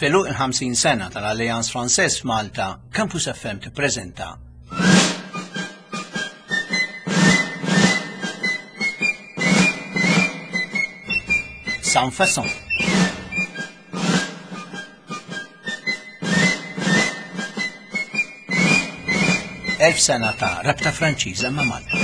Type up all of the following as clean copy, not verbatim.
F'għeluq il-50 sena tal-Alliance Française f'Malta, Campus FM tippreżenta Sans Façon. Elf sena ta' rabta Franċiża ma' Malta.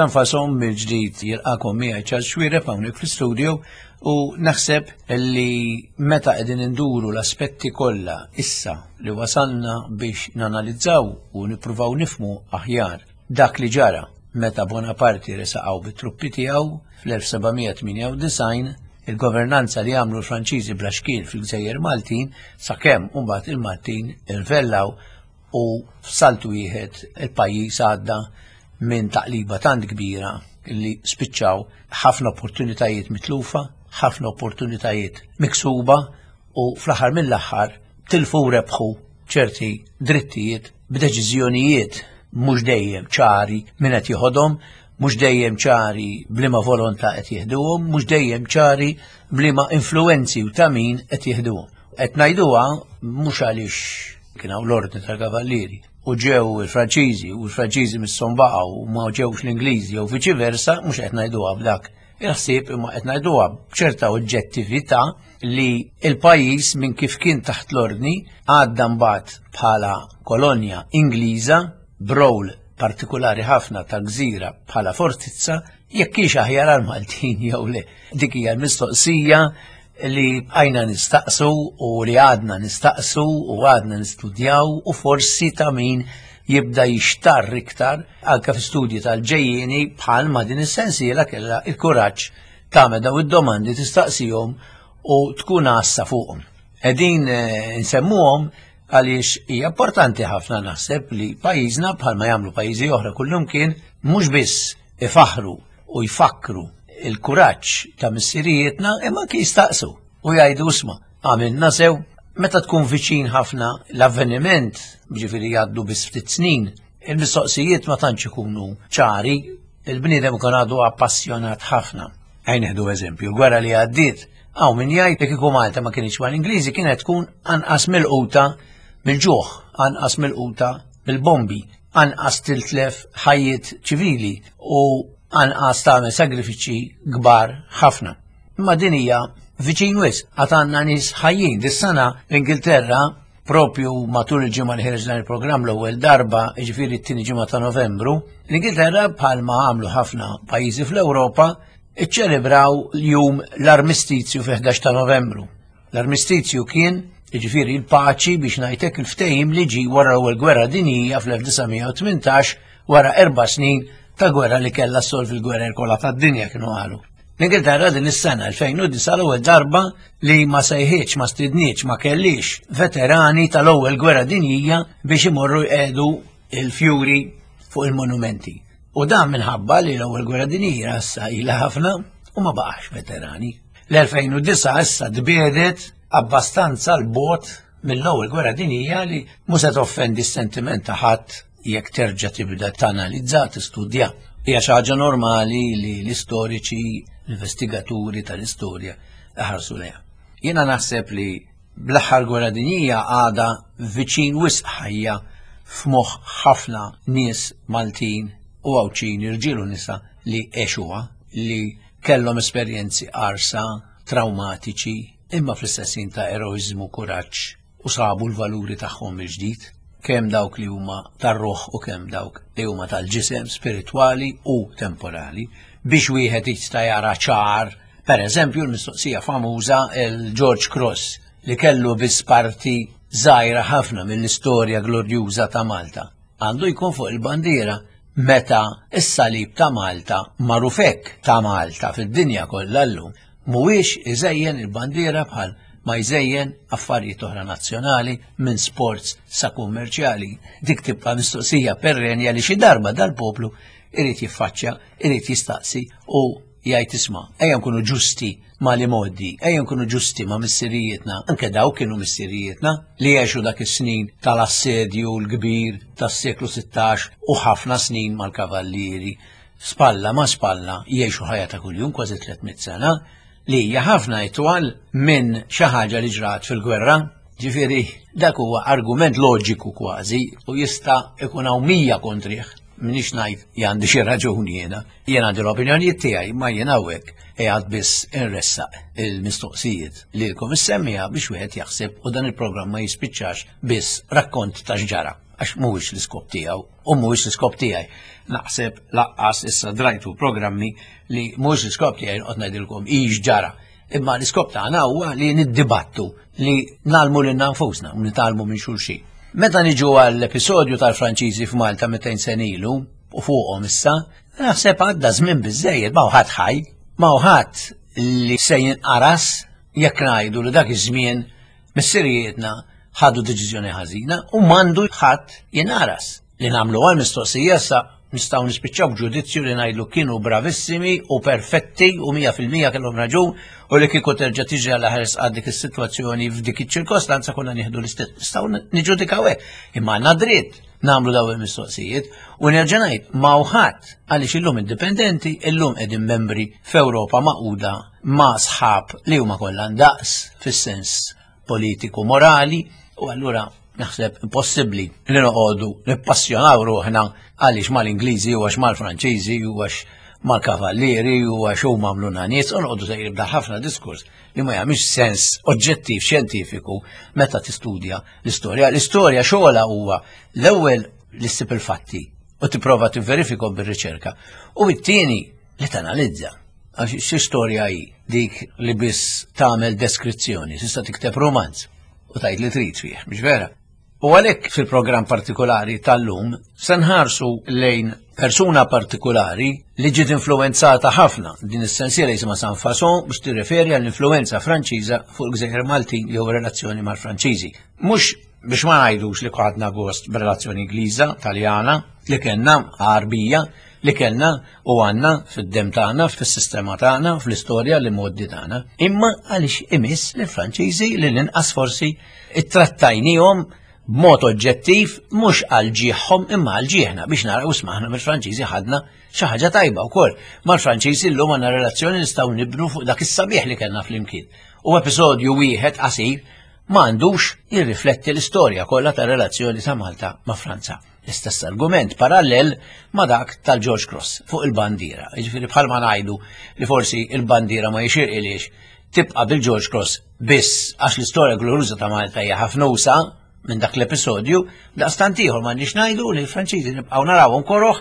San Fason mill-ġdid jilqakom miegħi Charles Xuereb hawnhekk fl-istudio u naħseb li meta qegħdin induru l-aspetti kollha issa li wasalna biex nanalizzaw u nippruvaw nifmu aħjar dak li ġara meta Bonaparte resaqaw bit-truppi tiegħu fl-1798 il-governanza li għamlu l-Franċiżi bla xkiel fil-Gżejjer Maltin sakemm imbagħad il-Maltin irvellaw u f'salt wieħed il-pajjiż għadda minn taqliba tant kbira li spiċċaw ħafna opportunitajiet mitlufa, ħafna opportunitajiet miksuba u fl-aħħar mill-aħħar tilfu u rebħu ċerti drittijiet b'deċiżjonijiet mhux dejjem ċari min qed jieħodhom, mhux dejjem ċari b'liema volontà qed jieħduhom, mhux dejjem ċari b'liema influenzi u ta' min qed jieħduhom. Qed ngħiduha mhux għaliex kien hawn l-ordni tal-kavallieri u ġew il-Franċiżi u l-Franċiżi misshom baqgħu u ma ġewx l-Ingliżi jew viċi versa, mhux qed ngħiduha b'dak il-ħsieb imma qed ngħiduha b'ċerta oġġettività li l-pajjiż minn kif kien taħt l-ordni għadda mbagħad bħala kolonja Ingliża b'rol partikulari ħafna ta' gżira bħala fortizza jekk hix aħjar għal Maltin jew le. Dik hija l-mistoqsija li bqajna nistaqsu u li għadna nistaqsu u għadna nistudjaw u forsi ta' min jibda jixtarr iktar anke fi studji tal-ġejjieni bħal ma din is-sensiela kellha il-kuraġġ tagħmel daw id-domandi tistaqsihom u tkun għassa fuqhom. Qegħdin eh, nsemmuhom għaliex hija importanti ħafna naħseb li pajjiżna bħalma jagħmlu pajjiżi oħra kullumkien mhux biss ifaħru u jfakkru il-kuraġġ ta' missirijietna imma anki jistaqsu u jgħidu isma' għamilna sew meta tkun viċin ħafna l-avveniment, ġifieri jgħaddu biss ftit snin, il-mistoqsijiet ma tantx ikunu ċari, il-bniedem ikun għadu appassjonat ħafna. Ejn nieħdu eżempju, l-gwerra li għaddiet, hawn min jgħid li kieku Malta ma kienx mal-Ingliżi kienet tkun anqas milquta mill-ġuħ, anqas milquta mill-bombi, anqas tiltlef ħajjiet ċivili u anqas tagħmel sagrifiċċji kbar ħafna. Imma din hija viċin wisq, għad għandna nies ħajjin. Dis-sena l-Ingilterra propju matul il-ġimgħa li ħireġ dan il-programm l-ewwel darba, jiġifieri t-tieni ġimgħa ta' Novembru, l-Ingilterra bħalma għamlu ħafna pajjiżi fl-Ewropa iċċelebraw jum l-armistizju fi 11 ta' Novembru. L-armistizju kien, jiġifieri l-paċi biex ngħidlek il-ftehim li ġie wara l-ewwel gwerra dinjija fl-1918 wara erba' snin ta' gwerra li kellha ssolvi l-gwerer kollha tad-dinja kienu qalu. L-Ingilterra din is-sena 2009 l-ewwel darba li ma sejħitx, ma stidnietx, ma kellix veterani tal-ewwel gwerra dinjija biex imorru jqegħdu il-fjuri fuq il-monumenti. U dan minħabba li l-ewwel gwerra dinjija issa ilha ħafna u ma baqax veterani. L-2009 issa tbiedet abbastanza l-bot mill-ewwel gwerra dinjija li mhux se toffendi s-sentiment ta' ħadd jekk terġa' tibda tanalizza, tistudja. Hija xi ħaġa normali li l-istoriċi, l-investigaturi tal-istorja iħarsu lejha. Jiena naħseb li bl-aħħar gwerra dinjija għadha viċin wisq ħajja f'moħħ ħafna nies Maltin u Għawdxin, irġiel u nisa li għexuha, li kellhom esperjenzi qarsa, traumatiċi, imma fl-istess ħin ta' eroiżmu, kuraġġ u sabu l-valuri tagħhom mill-ġdid, kemm dawk li huma tar-ruħ u kemm dawk li huma tal-ġisem, spiritwali u temporali, biex wieħed jista' jara ċar, per eżempju l-mistoqsija famuża il-George Cross li kellu biss parti żgħira ħafna mill-istorja glorjuża ta' Malta. Għandu jkun fuq il-bandiera meta s-salib ta' Malta magħruf hekk ta' Malta fid-dinja kollha llum mhuwiex iżejjen il-bandiera bħal ma jżejjen affarijiet oħra nazzjonali minn sports sa kummerċjali. Dik tibqa' mistoqsija perrenja li xi darba dal-poplu irid jiffaċċja, irid jistaqsi u jgħid isma' ejja nkunu ġusti ma' li modi, ejja nkunu ġusti ma' missirijietna, anke daw kienu missirijietna li għexu dak is-snin tal-assedju l-kbir tas-seklu 16 u ħafna snin mal-kavallieri spalla ma' spalla jgħixu ħajja ta' kuljum kważi 300 sena li hija ħafna itwal minn xi ħaġa li ġrat fil-gwerra. Ġifieri dak huwa argument loġiku kważi u jista' ikun hawn 100 kontrih. Minix ngħid li għandi xi raġuni jiena. Jien għandi l-opinjonijiet tiegħi ma jien hawnhekk qiegħed biss inressaq il-mistoqsijiet lilkom is-semmiegħa biex wieħed jaħseb u dan il-programm ma jispiċċax biss rakkont ta' x'ġara għax mhuwiex l-iskop tiegħu u mhuwiex l-iskop tiegħi. Naħseb laqqas issa drajtu programmi li mhuwiex l-iskop tiegħi noqgħod ngħidilkom ix ġara. Imma l-iskop tagħna huwa li niddibattu li nalmu lil nfusna u nitgħallmu minn xulxin. Meta niġu għall-episodju tal-Franċiżi f'Malta 200 sen ilu u fuqhom issa, naħseb għadda żmien biżejjed ma ħadd ħaj, ma ħadd li se jinqaras jekk ngħidu li dak iż-żmien missirijietna ħadu deċiżjoni ħażina u m'għandu ħadd jinqaras. Li nagħmlu għal mistoqsija sa nistgħu nispiċċaw b'ġudizzju li ngħidlu kienu bravissimi u perfetti u 100% kellhom raġun u li kieku terġa' tiġri għal ħares għal dik is-sitwazzjoni f'dik iċ-ċirkostanza konna nieħdu l-istess. Nistgħu niġġudikaw hekk. Imma għandna dritt nagħmlu dawn il-mistoqsijiet u nerġa' ngħid ma ħadd għaliex illum indipendenti, illum qegħdin membri f'Ewropa maquda ma' sħab li huma kollha ndaqs fis-sens politiku morali u allura naħseb impossibbli li noqogħdu nippassjonaw ruħna għaliex mal-Ingliżi u għax mal-Franċiżi u għax mal-Kavallieri u għax huma għamluna nies u noqogħdu sejrin b'dan ħafna diskors li ma jagħmilx sens oġġettiv xjentifiku meta tistudja l-istorja. L-istorja xogħla huwa l-ewwel li ssib il-fatti u tipprova tivverifikhom bir-riċerka u t-tieni li tanalizza. Għax xi storja hi dik li biss tagħmel deskrizzjoni, tista' tikteb romanz u tgħid li trid fih, mhux vera? U għalhekk fil-programm partikolari tal-lum se nħarsu lejn persuna partikolari li ġiet influenzata ħafna din is-sensiela jisimha San Fason biex tirreferi għall-influenza Franċiża fuq il-Gżejjer Maltin jew relazzjoni mal-Franċiżi. Mhux biex ma ngħidux li ħadna gost b'relazzjoni Ingliża, Taljana, li kellna Għarbija, li kellna u għandna fid-demm tagħna, fis-sistema tagħna, fl-istorja li moddi tagħna. Imma għaliex imiss li Franċiżi li l-inqas forsi ittrattajnihom b'mod oġġettiv mhux għal ġieħhom imma għal ġieħna biex naraw smaħna mill-Franċiżi ħadna xi ħaġa tajba wkoll. Mal-Franċiżi llum għandna relazzjoni nistgħu nibnu fuq dak is-sabiħ li kellna flimkien. U episodju wieħed qasir ma għandux jirrifletti l-istorja kollha tar-relazzjoni ta' Malta ma' Franza. L-istess argument parallel ma' dak tal-George Cross fuq il-bandiera. Jiġifieri bħalma ngħidu li forsi il-bandiera ma jixirqilix tibqa' bil-George Cross biss għax l-istorja gloruża ta' Malta hija ħafna usa minn dak l-episodju, daqstant ieħor m'għandniex ngħidu li l-Franċiżi nibqgħu narawhom koroh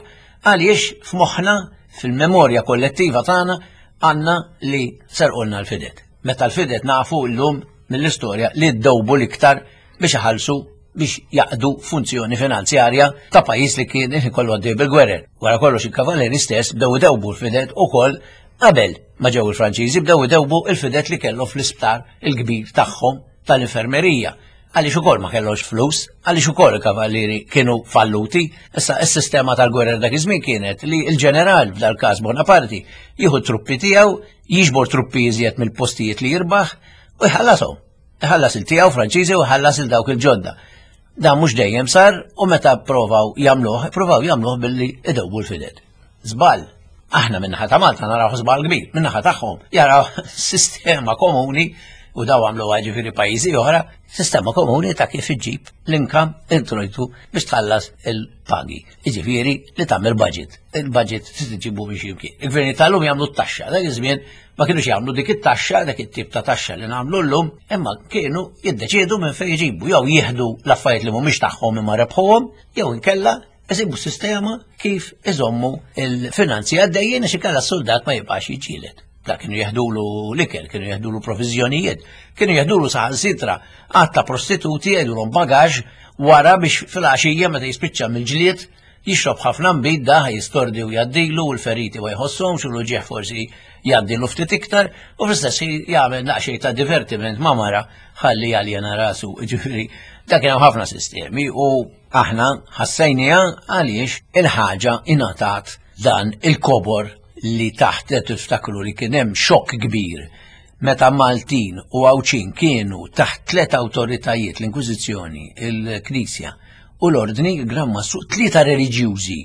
għaliex f'moħħna fil-memorja kollettiva tagħna għandna li serqulna l-fidet. Meta l-fidet nafu llum mill-istorja li ddewbu l-iktar biex iħallsu biex jaqdu funzjoni finanzjarja ta' pajjiż li kien ikollu għaddej bil-gwerer. Wara kollox il-kavalleri stess bdew idewbu l-fidet ukoll qabel ma ġew il-Franċiżi bdew idewbu il-fidet li kellhom fl-isptar il-kbir tagħhom tal-infermerija. Għaliex ukoll ma kellhomx flus, għaliex ukoll il-kavallieri kienu falluti. Issa s-sistema tal-gwerer dak iż-żmien kienet li l-ġeneral f'dal-każ Bonaparte jieħu truppi tiegħu, jiġbor truppi iżjed mill-postijiet li jirbaħ u jħallashom. Iħallas il-tiegħu Franċiżi u jħallas il dawk il-ġodda. Dan mhux dejjem sar u meta provaw jagħmluh, provaw jagħmluh billi idewbu l-fidet. Żball. Aħna min-naħa ta' Malta naraw żball kbir, min-naħa tagħhom jaraw sistema komuni u daw għamlu ġifieri pajjiżi oħra, sistema komuni ta' kif iġġib l-inkam introjtu biex tħallas il-pagi. Jiġifieri li tagħmel budget. Il-budget trid iġibu biex jimkien. Il-gverni tal-lum jagħmlu t-taxxa, dak iż-żmien ma kienux jagħmlu dik it-taxxa, dak it-tip ta' taxxa li nagħmlu llum, imma kienu jiddeċiedu minn fejn jġibu, jew jieħdu l-affarijiet li mhumiex tagħhom imma rebħuhom, jew inkella isibu sistema kif iżommu il-finanzi għaddejjin għax inkella s-soldat ma jibqax jiġġieled. Da kienu jeħdulu l-ikel, kienu jeħdulu provizjonijiet, kienu jeħdulu saħansitra għadd ta' prostituti jgħidulhom bagaġ wara biex fil-għaxija meta jispiċċa mill-ġlied jixrob ħafna nbid da jistordi u jgħaddilu u l-feriti ma jħossomx u l-uġieħ forsi jgħaddilu ftit iktar u fl-istess ħin jagħmel naqxej ta' divertiment ma' mara ħalli jaljena rasu. Ġifieri dak kien hemm ħafna sistemi u aħna ħassejniha għaliex il-ħaġa ingħatat dan il-kobor. li taħt qed tiftakru li kien hemm xokk kbir meta Maltin u Għawdxin kienu taħt tlet awtoritajiet, l-Inkwiżizzjoni, il-Knisja u l-Ordni, il-Gran Mastru, tlieta reliġjużi.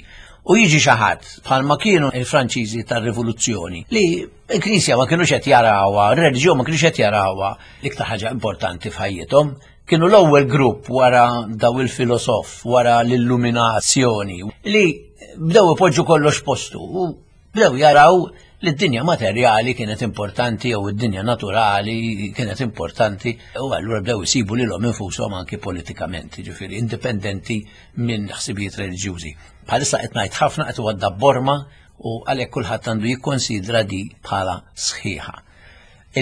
U jiġi xi ħadd bħalma kienu il-Franċiżi tar-Rivoluzzjoni li l-Knisja ma kinux qed jarawha, ir-reliġjon ma kinux qed jarawha l-iktar ħaġa importanti f'ħajjithom. Kienu l-ewwel grupp wara daw il-filosof, wara l-illuminazzjoni, li bdew ipoġġu kollox postu u bdew jaraw li d-dinja materjali kienet importanti jew id-dinja naturali kienet importanti u allura bdew isibu lilhom infushom anki politikament, ġifieri indipendenti minn ħsibijiet reliġjużi. Bħalissa qed ngħid ħafna qed għadda borma u għalhekk kulħadd għandu jikkonsidra di bħala sħiħa.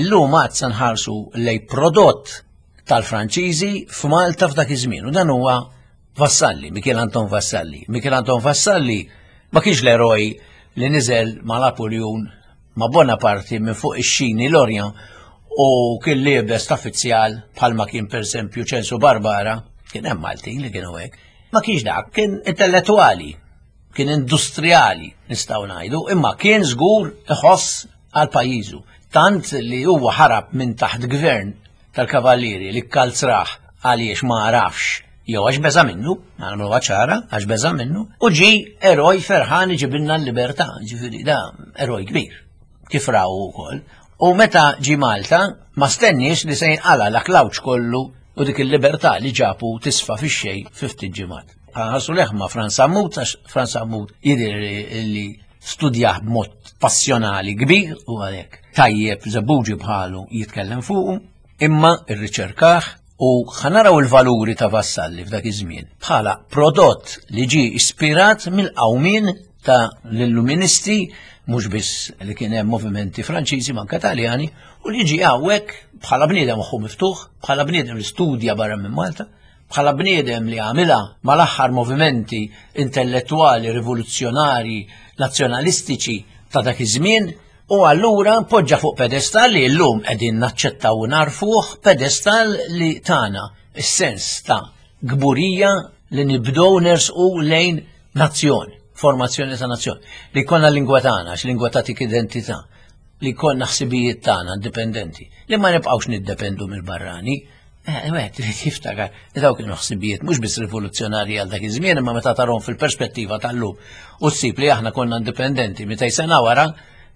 Illum għad se nħarsu lej prodott tal-Franċiżi f'Malta f'dak iż-żmien u dan huwa Vassalli, Mikiel Anton Vassalli. Mikiel Anton Vassalli ma kienx l-eroj li niżel ma' Napoleon ma' Bonaparte minn fuq ix-xini l-Orient u kien liebes ta' fizzjal bħalma kien pereżempju Ċensu Barbara, kien hemm Maltin li kienu hekk. Ma kienx dak, kien intellettwali, kien industrijali nistgħu ngħidu, imma kien żgur iħoss għal pajjiżu. Tant li huwa ħarab minn taħt gvern tal-kavallieri li kkalzrah għaliex ma għarafx jew għax beża' minnu, nagħmluha ċara, għax beża' minnu, u ġi eroj ferħan iġibilna l-libertà, ġifieri da eroj kbir, kif raw ukoll. U meta ġi Malta, ma stenniex li se jinqala l-aklawċ kollu u dik il-libertà li ġabu tisfa fix-xejn fi ftit ġimgħat. Ħarsu leħ ma' Franz Sammut, għax Franz Sammut jidher li studjah b'mod passjonali kbir u għalhekk tajjeb żebbuġi bħalu jitkellem fuqu, imma rriċerkah u ħanaraw il-valuri ta' Vassalli f'dak iż-żmien bħala prodott li ġie ispirat mill-qawmien ta' l-illuministi mhux biss li kien hemm movimenti Franċiżi manka Taljani u li ġie hawnhekk bħala bniedem moħħu miftuħ, bħala bniedem li studja barra minn Malta, bħala bniedem li għamilha mal-aħħar movimenti intellettwali, rivoluzzjonari, nazzjonalistiċi ta' dak iż-żmien, u allura poġġa fuq pedestal li llum qegħdin naċċettaw u narfuh, pedestal li tana is-sens ta' kburija li nibdew nersqu lejn nazzjon, formazzjoni ta' nazzjon, li jkollna lingwa tagħna, għax lingwa tagħtik identità, li jkollna ħsibijiet tagħna indipendenti, li ma nibqgħux niddependu mill-barrani. Eh, wieħed irid jiftakar li dawk kienu ħsibijiet mhux biss rivoluzzjonarji għal dak iż-żmien imma meta tarhom fil-perspettiva tal-lum u ssib li aħna konna indipendenti mitej sena wara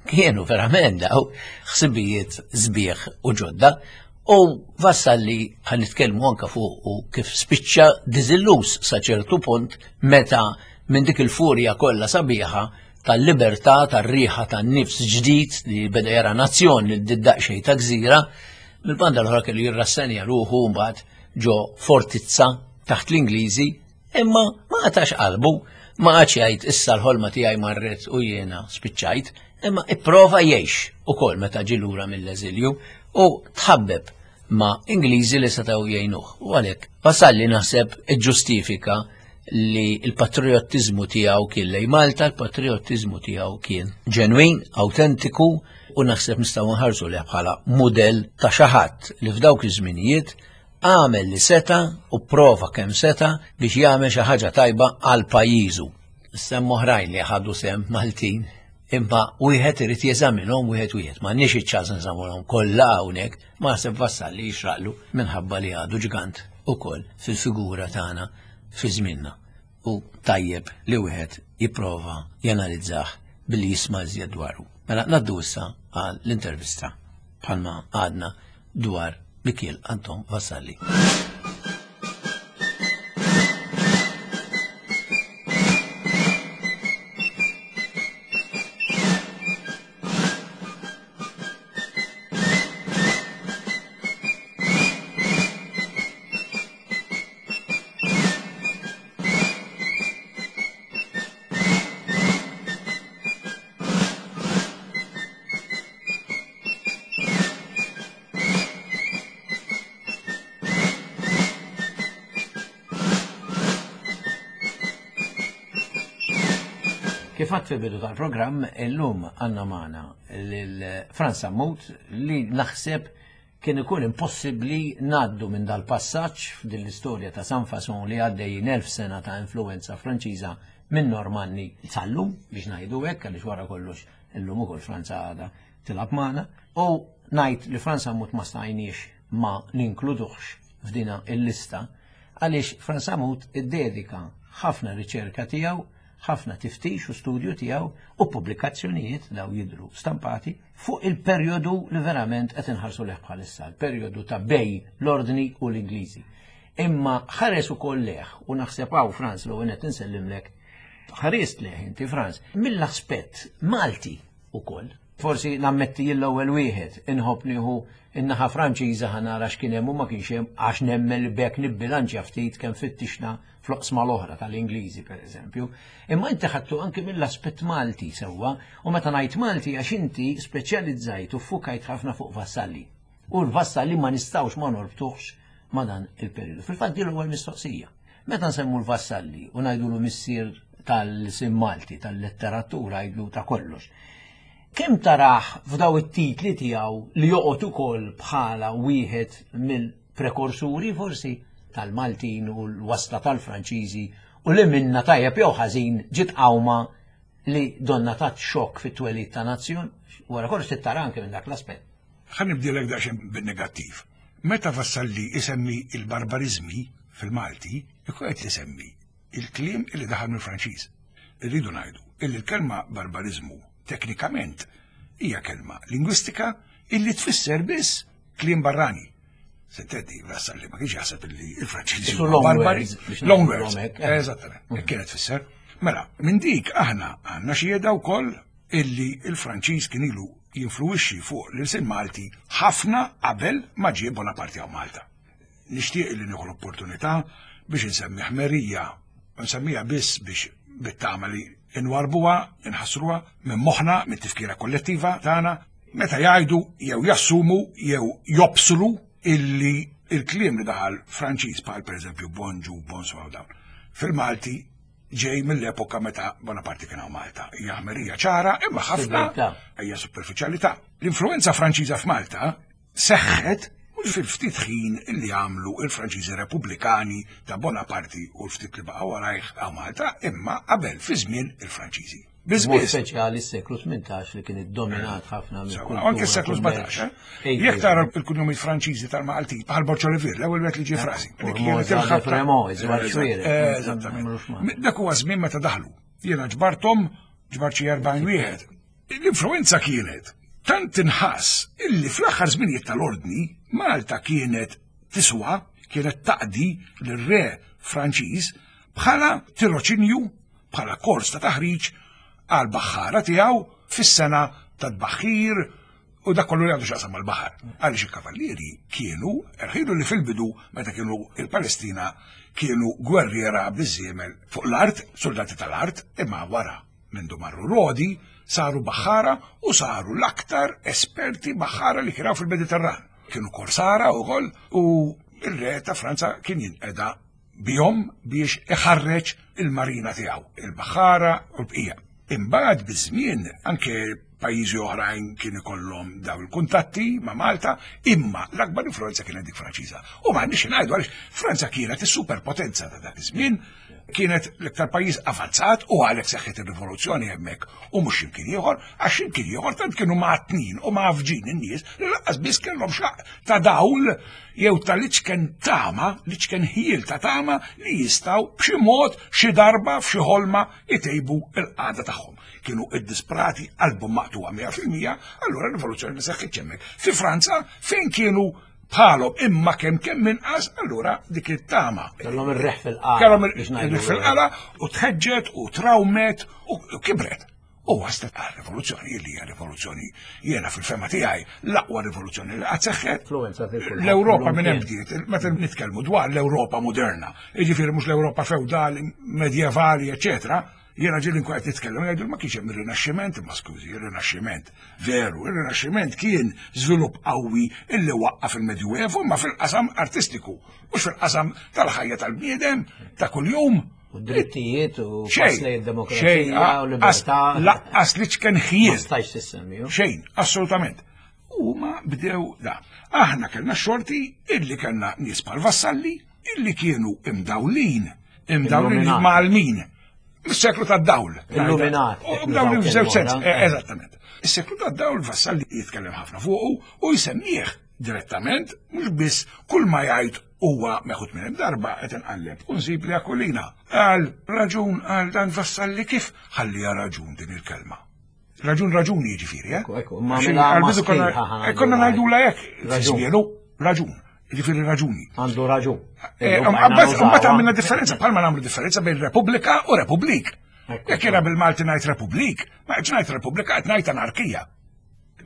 kienu verament daw ħsibijiet sbieħ u ġodda u Vassalli ħan nitkellmu anka fuq u kif spiċċa diżilluż sa ċertu punt meta minn dik il-furja kollha sabiħa tal-libertà, tar-riħa tan-nifs ġdid li beda jara nazzjon li d-daqxej ta' gżira, mill-banda l-oħra kellu jirrassenja ruħu mbagħad ġo fortizza taħt l-Ingliżi, imma ma qatax qalbu, ma qagħadx jgħid issa l-ħolma tiegħi marret u jiena spiċċajt, imma ipprova jgħix ukoll meta ġie lura mill-eżilju u tħabbeb ma' Ingliżi li setgħu jgħinuh. U għalhekk Vassalli naħseb iġġustifika li l-patriottiżmu tiegħu kien lej Malta, l-patriottiżmu tiegħu kien ġenwin, autentiku u naħseb nistgħu nħarsu leh bħala mudell ta' xi ħadd li f'dawk iż-żminijiet għamel li seta u prova kemm seta biex jagħmel xi ħaġa tajba għal pajjiżu. Semm oħrajn li ħadu sem Maltin, imma wieħed irid jeżaminhom wieħed wieħed. M'għandniex iċ-ċans nżamulhom kollha hawnhekk, ma naħseb Vassalli jixraqlu minħabba li għadu ġgant ukoll fil-figura tagħna fi żmienna u tajjeb li wieħed jipprova janalizzah billi jisma' iżjed dwaru. Mela ngħaddu issa għal l-intervista bħalma għadna dwar Mikiel Anton Vassalli. Kif għadt fil-bidu tal-programm, illum għanna magħna lil Franz Sammut li naħseb Kien ikun impossibbli ngħaddu minn dal-passaġġ f'din l-istorja ta' San Fason li għaddejjin 1000 sena ta' influwenza Franċiża minn Normanni sal-lum, biex ngħidu hekk, għaliex wara kollox Illum ukoll Franza għadha tilgħab magħna. U ngħid li Frans Sammut ma stajniex ma ninkluduhx f'dina il-lista għaliex Frans Sammut iddedika ħafna riċerka tiegħu, ħafna tiftix u studju tiegħu u pubblikazzjonijiet daw jidhru stampati fuq il-perjodu li verament qed inħarsu leh bħalissa, il-perjodu ta' bej l-Ordni u l-Ingliżi. Imma ħares ukoll leh u naħseb hawn Frans l-ewwel qed insellimlek ħarist leh inti Frans mill-aspett Malti ukoll. Forsi nammetti jien l-ewwel wieħed inħobb nieħu in-naħa Franċiża ħa nara x'kien hemm u ma kienx hemm għax nemmen li b'hekk nibbilanċja ftit kemm fittixna fl-oqsma l-oħra tal-Ingliżi pereżempju. Imma inti ħadtu anki mill-aspett Malti sewwa u meta ngħid Malti għax inti speċjalizzajt u ffukajt ħafna fuq Vassalli. U l-Vassalli ma nistgħux ma norbtuhx ma' dan il-perjodu. Fil-fatt din l-ewwel mistoqsija. Meta nsemmu l-Vassalli u ngħidulu missier tal-sim Malti, tal-letteratura, jgħidlu ta' kollox. Kemm tarah f'daw it-titli tiegħu li joqgħod ukoll bħala wieħed mill-prekorsuri forsi tal-Maltin u l-wasla tal-Franċiżi u li minna tajjeb jew ħażin ġiet qawma li donna tat xokk fit-twelid ta' nazzjon, wara kollox tittara anke minn dak l-aspett. Ħa nibdilek daqsxejn bin-negattiv. Meta Vassalli isemmi il-barbariżmi fil-Malti, ikun qed isemmi il-kliem illi daħal mill-Franċiż. Irridu ngħidu illi l-kelma barbariżmu teknikament hija kelma lingwistika illi tfisser biss kliem barrani. Senteddi, Vassalli ma kienx jaħseb illi il-Franċiżi huma barbari. Long words. Eżattament, kienet tfisser. Mela, minn dik aħna għandna xhieda wkoll illi il-Franċiż kien ilu jinfluwixxi fuq l-ilsien Malti ħafna qabel ma ġie Bonaparte hawn Malta. Nixtieq li nieħu l-opportunità biex insemmi ħmerija, nsemmiha biss biex bit-tama li nwarbuha, inħassruha minn moħħna, mit-tifkira kollettiva tagħna, meta jgħidu jew jassumu jew jobsru illi il-kliem li daħal Franċiż bħal pereżempju bonġu, bonsoir dawn. Fil-Malti ġej mill-epoka meta Bonaparte kien hawn Malta. Hija ħmerija ċara imma ħafna hija superfiċjalità. L-influenza Franċiża f'Malta seħħet mhux fil-ftit ħin li għamlu il-Franċiżi Repubblikani ta' Bonaparte u l-ftit li baqgħu warajh hawn Malta, imma qabel fi żmien il-Franċiżi. B'mod speċjali s-seklu 18 li kien iddominat ħafna minn Anke s-seklu 17, eh? Jekk tara l-kunjomijiet Franċiżi tal-Malti, bħal Borċolivir, l-ewwel wieħed li ġie frasi. Li kienet il-ħabta. Eżattament. Dak huwa żmien meta daħlu. Jiena ġbarthom ġbart xi 40 wieħed. L-influenza kienet tant tinħass illi fl-aħħar żminijiet tal-ordni Malta kienet tiswa, kienet taqdi lir-re Franċiż bħala tiroċinju bħala kors ta' taħriġ għal baħħara tiegħu fis-sena ta' tbaħħir u dak kollu li għandu x'jaqsam mal-baħar. Għaliex il-kavallieri kienu rħilu li fil-bidu meta kienu il-Palestina kienu gwerriera biż-żiemel fuq l-art, soldati tal-art, imma wara mindu marru Rodi saru baħħara u saru l-aktar esperti baħħara li kienu fil-Mediterran. Kienu korsara u u il-re ta' Franza kien jinqeda bihom biex iħarreġ il-marina tiegħu, il-baħħara u l-bqija. Imbagħad biż-żmien anke pajjiżi oħrajn kien ikollhom daw il-kuntatti ma' Malta, imma l-akbar influenza kienet dik Franċiża. U m'għandniex ngħidu għaliex Franza kienet is-superpotenza ta' dak iż-żmien, kienet l-iktar pajjiż avanzat u għalhekk seħħet ir-rivoluzzjoni hemmhekk u mhux x'imkien ieħor, għax x'imkien ieħor tant kienu mgħattnin u mgħaffġin in-nies li lanqas biss kellhom xaq ta' dawl jew ta' l-iċken tama, l-iċken ħjiel ta' tama li jistgħu b'xi mod xi darba f'xi ħolma jtejbu l-qagħda tagħhom. Kienu iddisprati qalbhom maqtugħa 100%, allura r-rivoluzzjoni ma seħħitx hemmhekk. Fi Franza fejn kienu bħalhom imma kemm kemm inqas, allura dik it-tama. Kellhom ir-reħ fil-qala. Kellhom ir-reħ fil-qala u tħeġġet u trawmet u kibret. U waslet għal rivoluzzjoni li hija rivoluzzjoni jiena fil-fema tiegħi l-aqwa rivoluzzjoni li qatt seħħet. L-Ewropa minn hemm bdiet, meta nitkellmu dwar l-Ewropa moderna, jiġifieri mhux l-Ewropa feudali, medjevali, eċetera, jiena ġieli nkun qed nitkellem jgħidu ma kienx hemm ir-Rinaxximent, imma skużi, ir-Rinaxximent. Veru, ir-Rinaxximent kien żvilupp qawwi illi waqqaf il-Medjuevu imma fil-qasam artistiku, mhux fil-qasam tal-ħajja tal-bniedem ta' kuljum. U drittijiet u pass lejn id-demokrazija u libertà. Laqqas li ċken ħjiel. Ma stajx tissemmi. Xejn, assolutament. U ma bdew da. Aħna kellna xorti illi kellna nies bħal vassalli illi kienu imdawlin, imdawlin mal-min. Is-seklu tad-dawl. Illuminat. U dawn il-żewġ sens, eh, eżattament. Is-seklu tad-dawl Vassalli jitkellem ħafna fuqu u jsemmih direttament, mhux biss kull ma jgħid huwa meħud minn darba qed inqalleb u nsib li Aquilina qal raġun għal dan Vassalli kif ħallija raġun din il-kelma. Raġun raġuni jiġifieri, eh? Ekku, ma mela konna ngħidula hekk, raġun. Raġun. Jiġifieri raġuni. Għandu raġun. Eh, mbagħad għamilna differenza, bħalma nagħmlu differenza bejn Repubblika u Republik. Jekk jiena bil-Malti ngħid Republik, ma qed ngħid Repubblika qed ngħid anarkija.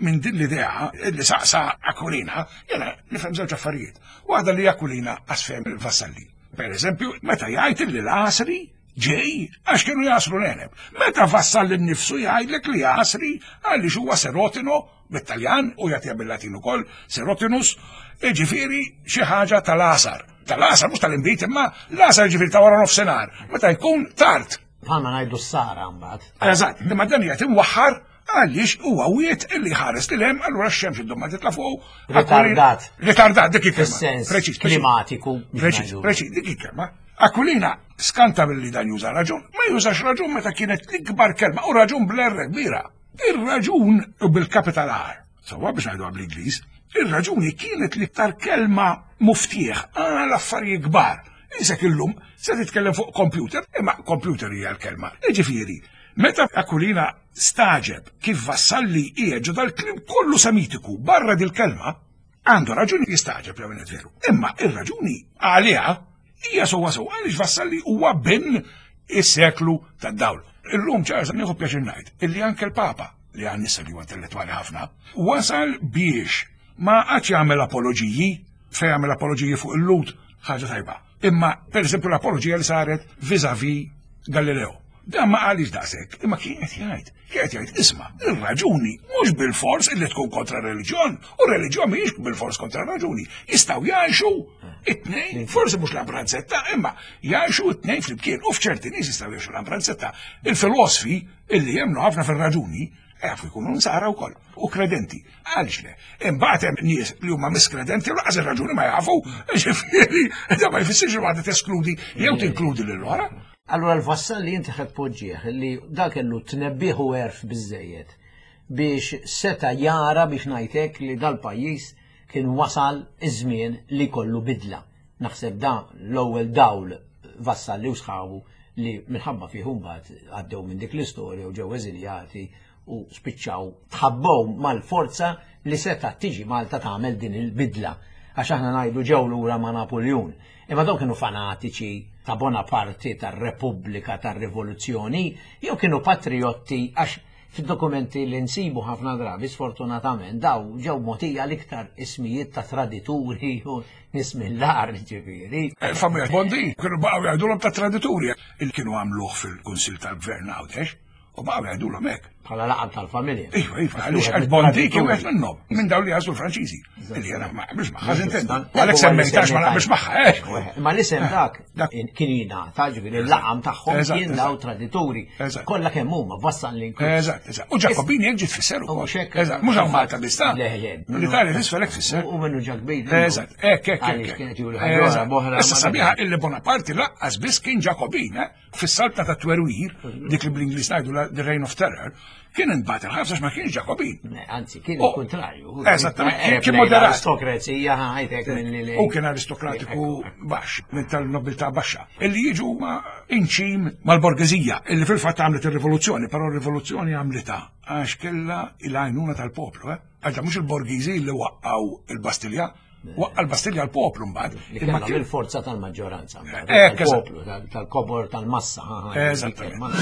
Minn din l-idea li saqsa Aquilina, jiena nifhem żewġ affarijiet. Waħda li Aquilina qasfem il-Vassalli. Per eżempju, meta jgħid li l-għasri ġej għax kienu jasru l-għeneb. Meta Vassalli nnifsu jgħidlek li għasri għaliex huwa serotino bit-Taljan u jagħtiha bil-Latin ukoll, serotinus, jiġifieri xi ħaġa tal-għasar. Tal-għasar mhux tal-inbid imma l-għasar jiġifieri ta' wara nofsinhar, meta jkun tard. Bħalma ngħidu s-sara mbagħad. Eżatt, imma dan qiegħed imwaħħar għaliex huwa wiet illi ħares lil hemm allura x-xemx iddum ma titla' fuq. Ritardat. Ritardat dik il-kelma. Fis-sens klimatiku. Preċiż, preċiż, dik il-kelma. Aquilina skanta billi dan juża raġun, ma jużax raġun meta kienet l-ikbar kelma u raġun bl-R kbira. Ir-raġun u bil-capital R, sewwa biex ngħiduha bl-Ingliż, ir-raġuni kienet l-iktar kelma muftieħ għal affarijiet kbar. Isek illum se titkellem fuq computer, imma computer hija l-kelma. Jiġifieri, meta Aquilina staġeb kif Vassalli qiegħed ġo dal-kliem kollu semitiku barra dil-kelma, għandu raġuni jistaġeb jew veru. Imma ir-raġuni għaliha Hija sewwa sew għaliex Vassalli huwa bin is-seklu tad-dawl. Illum ċarsa nieħu pjaċir ngħid illi anke l-Papa li għan nisa li huwa intellettwali ħafna, wasal biex ma għadx jagħmel apoloġiji, se jagħmel apoloġiji fuq il-lut, ħaġa tajba. Imma per eżempju l-apoloġija li saret vis-a-vis Galileo. Dan ma qalix daqshekk, imma kien qed jgħid. Kien qed jgħid isma' ir-raġuni mhux bil-fors illi tkun kontra reliġjon, u reliġjon mhijiex bil-fors kontra raġuni. Jistgħu jgħixu it-tnejn, forsi mhux l-ambranzetta, imma jgħixu it-tnejn flimkien u f'ċerti nies jistgħu jgħixu l-ambranzetta. Il-filosfi illi jemmnu ħafna fir-raġuni jafu jkunu nsara wkoll u kredenti. Għaliex le? Imbagħad hemm nies li huma miskredenti u laqas ir-raġuni ma jafu, ġifieri, da ma jfissirx li waħda teskludi jew tinkludi lil oħra. Allura l-Vassalli inti ħed poġġieħ li dak kellu tnebbiħ u għerf biżejjed biex seta jara biex ngħidlek li dal-pajjiż kien wasal iż-żmien li kollu bidla. Naħseb da l-ewwel dawl Vassalli u sħabu li minħabba fih mbagħad għaddew minn dik l-istorja u ġew eżiljati u spiċċaw tħabbew mal-forza li setgħet tiġi Malta tagħmel din il-bidla. Għax aħna ngħidu ġew lura ma' Napuljun. Imma dawn kienu fanatiċi ta' Bonaparte, tar-Repubblika, tar-Rivoluzzjoni, jew kienu patriotti għax fid-dokumenti li nsibu ħafna drabi sfortunatament daw ġew mogħtija l-iktar ismijiet ta' tradituri u nies mill-agħar ġifieri. Eh, familja Bondi kienu baqgħu jgħidulhom ta' tradituri il kienu għamluh fil-Kunsill tal-Gvern Għawdex. U baqgħu jgħidulhom hekk. Bħala laqab tal-familja. Iva, iva, għaliex għal Bondi kien wieħed minnhom, minn dawn li għażlu l-Franċiżi. Illi jiena ma naqbilx magħha sintendi. Għalhekk semmejtax ma naqbilx magħha, eh. Ma l-isem dak kien jingħata, ġifieri l-laqam tagħhom kien daw tradituri. Kollha kemm huma vassal li nkun. Eżatt, eżatt. U Ġakobini hekk ġiet tfisser ukoll. Eżatt, mhux hawn Malta biss ta' L-Italja t'isfel hekk tfisser. U minnu Ġakbin. Eżatt, hekk hekk hekk. Issa sabiħa illi Bonaparte laqqas biss kien Ġakobin, eh. Fis-saltna ta' twerwir, dik li bl-Ingliż ngħidu the reign of terror, kien intbagħat il-ħabs għax ma kienx Ġakobin. Anzi, kien il-kontrarju. Eżattament, eh, kien moderat. Aristokrazija ħajtek minn li. U kien aristokratiku baxx, minn tal-nobiltà baxxa. Illi jiġu ma inċim mal-borgeżija, illi fil-fatt għamlet ir-rivoluzzjoni, però r-rivoluzzjoni għamlitha għax kellha il-għajnuna tal-poplu, eh? Għax mhux il-borgiżi li waqqgħu il-Bastilja, Waqqa l-Bastilja l-poplu mbagħad. Imma kien il-forza tal-maġġoranza mbagħad. Tal-poplu, tal-kobor tal-massa. Eżattament.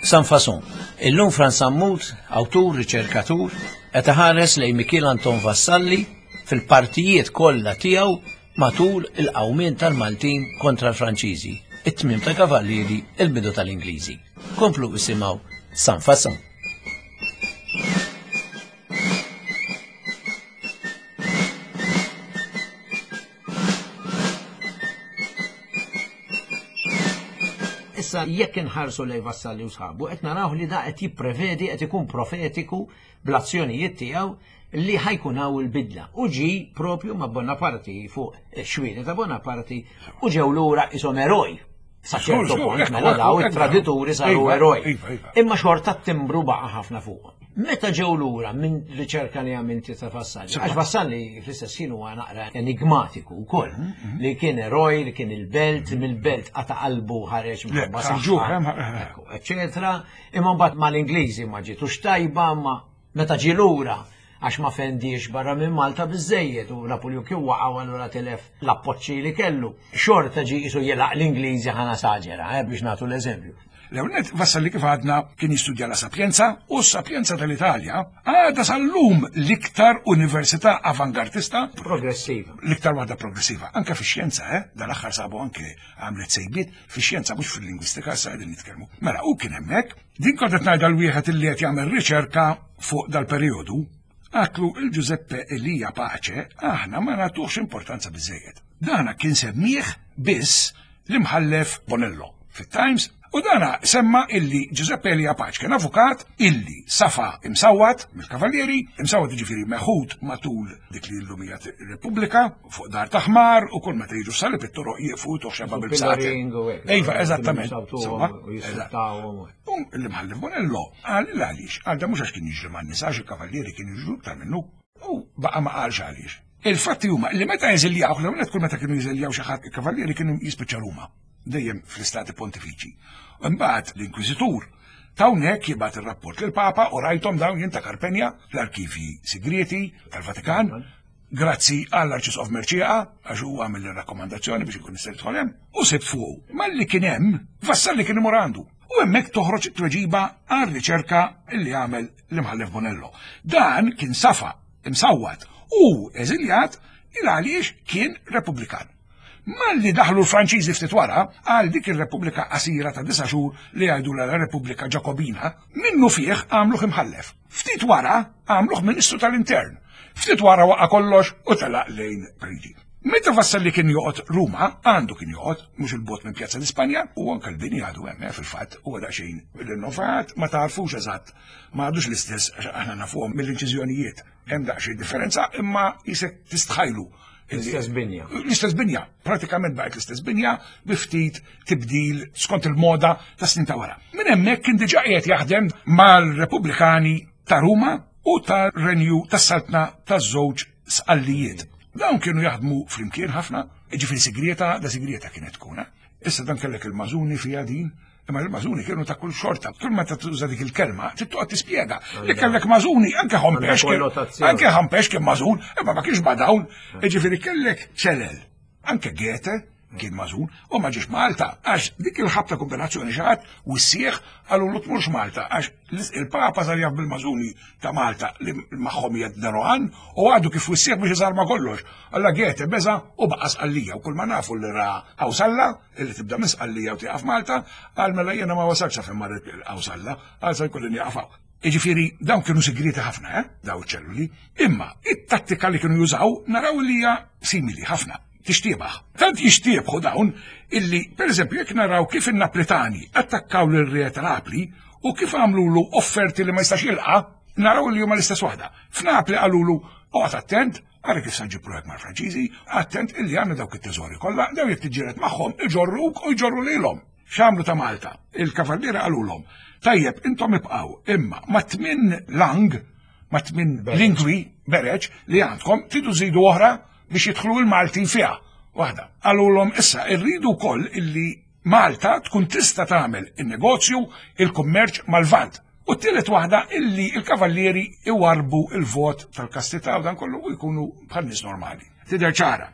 San Fason. Illum Frans Sammut, awtur, riċerkatur, qed iħares lejn Mikiel Anton Vassalli fil-partijiet kollha tiegħu matul il-qawmien tal-Maltin kontra l-Franċiżi, it-tmiem tal-Kavallieri, il-bidu tal-Ingliżi. Komplu isimgħu San Fason. Issa Issa jekk inħarsu lejn Vassalli u sħabu qed naraw li da qed jipprevedi qed ikun profetiku bl-azzjonijiet tiegħu li ħajkun hawn il-bidla. U ġi propju ma' Bonaparti fuq xwieni ta' Bonaparti u ġew lura isom eroj. Sa ċertu punt mela daw it-tradituri saru iva, eroj. Iva, iva. Imma xorta t-timbru baqa' ħafna fuq. Meta ġew lura minn riċerka li għamilti ta' Vassalli, għax Vassalli fl-istess ħin huwa naqra enigmatiku wkoll, mhm, mhm. li kien eroj, li kien il-belt, mhm. mill-belt qata' qalbu ħareġ minħabba saħħa, eċetera. Imma mbagħad mal-Ingliżi ma ġietux tajba, ma meta ġie lura għax ma fendiex barra minn Malta biżejjed u Napoleon kien waqa' u allura tilef l-appoġġi li kellu. Xorta ġie qisu jilgħaq l-Ingliżi ħa nasaġera, eh, biex nagħtu l-eżempju. L-ewwel Vassalli kif għadna kien jistudja la Sapienza u s-Sapienza tal-Italja għadha sal-lum l-iktar università avangardista. Progressiva. L-iktar waħda progressiva. Anke fix-xjenza, eh, dal-aħħar sabu anke għamlet sejbiet fix-xjenza mhux fil-lingwistika issa qegħdin nitkellmu. Mela hu kien hemmhekk, din kont qed ngħidha l-wieħed illi qed jagħmel riċerka fuq dal-perjodu, għatlu il-Giuseppe Elia Pace aħna ma nagħtuhx importanza biżejjed. Dana kien semmih biss l-imħallef Bonello fit-Times u dana semma illi Giuseppe Elia Pace kien avukat illi safa imsawwat mill-Kavallieri, imsawwat jiġifieri meħud matul dik li llum hija Repubblika fuq dar ta' ħmar u kull meta jiġu salib it-toroq jieqfu tuħ xeba bil-bsati. Iva, eżattament. L-imħallef Bonello qal għaliex, għal da mhux għax kien jiġri man-nisa għax il-kavallieri kien jiġru iktar minnu. U baqa' ma qalx għaliex. Il-fatti huma li meta jeżiljaw, l-ewwel kull meta kienu jeżiljaw xi ħadd il-kavallieri kienu jispiċċa Ruma, dejjem fl-istati pontifiċi. Imbagħad l-Inkwiżitur t'hawnhekk jibgħat ir-rapport lill-Papa u rajthom dawn jien ta' Karpenja fl-arkivji sigrieti tal-Vatikan. Grazzi għall-Arċisqof Mercieca għax hu għamel ir-rakkomandazzjoni biex inkun nista' nidħol hemm u sibt fuqu. Malli kien hemm, Vassalli kien imur għandu. U hemmhekk toħroġ it-tweġiba għar-riċerka li għamel l-Imħallef Bonello. Dan kien safa imsawwat u eżiljat il għaliex kien Repubblikan. Malli daħlu l-Franċiżi ftit wara, għal dik ir-Repubblika qasira ta' disa' xhur li jgħidulha la Repubblika Ġakobina, minnu fih għamluh imħallef. Ftit wara għamluh Ministru tal-Intern. Ftit wara waqa' kollox u telaq lejn Pariġi. Meta Vassalli kien joqgħod Ruma, għandu kien joqgħod, mhux il-bogħod minn Pjazza l-Ispanja, u anke l-bini għadu hemm eh, fil-fatt, huwa daqsxejn rinnovat, ma tagħrfux eżatt, ma għadux l-istess għax aħna nafuhom mill-inċiżjonijiet. Hemm daqsxejn differenza, imma jisek tistħajlu. L-istess binja. L-istess binja, pratikament baqgħet l-istess binja bi ftit tibdil skont il-moda ta' snin ta' wara. Minn hemmhekk kien diġà qiegħed jaħdem mal-Repubblikani ta' Ruma u tar-Renju tas-Saltna taż-żewġ Sqallijiet. Dawn kienu jaħdmu flimkien ħafna, ġifieri sigrieta, da sigrieta kienet tkun. Eh? Issa dan kellek il-mażuni fija din, imma il-mażuni kienu ta' kull xorta. Kull meta tuża dik il-kelma, trid toqgħod tispjega li kellek mażuni anke ħompex anke ħompex kien mażun, imma ma kienx ma' dawn. Ġifieri kellek ċelel, anke Goethe kien mażun u ma ġiex Malta għax dik il-ħabta kombinazzjoni xi ħadd wissieħ qalulu tmurx Malta għax il-Papa sar jaf bil-mażuni ta' Malta li magħhom jgħid Derohan u għadu kif wissieħ biex iżarma kollox. Alla Goethe beża u baqa' Sqallija u kull ma nafu li ra Qawsalla illi tibda minn Sqallija u tieqaf Malta qal mela jiena ma wasalx sa fejn marret Qawsalla qal sa jkolli nieqaf hawn. Jiġifieri dawn kienu sigrieti ħafna, eh, daw iċ-ċelluli, imma it-tattika li kienu jużaw naraw li hija simili ħafna. Tixtiebaħ. Tant jixtiebħu dawn illi, per eżempju, jekk naraw kif in-Naplitani attakkaw lil re ta' Napli u kif għamlulu offerti li ma jistax jilqa', naraw li huma l-istess waħda. F'Napli qalulu oqgħod attent, ara kif sa ġib ruħek mal-Franċiżi, attent illi għandna dawk it-teżori kollha, daw jekk tiġġieled magħhom iġorruk u jġorru lilhom. X'għamlu ta' Malta? Il-kavallieri qalulhom, tajjeb intom ibqgħu, imma ma' tmien lang, ma' tmien lingwi bereġ li għandkom tridu żidu oħra biex jidħlu l-Maltin fiha. Waħda. Qalulhom issa rridu wkoll illi Malta tkun tista' tagħmel in-negozju, il-kummerċ mal-Lvant. U t-tielet waħda illi l-kavallieri iwarrbu l-vot tal-kastità u dan kollu u jkunu bħal nies normali. Tidher ċara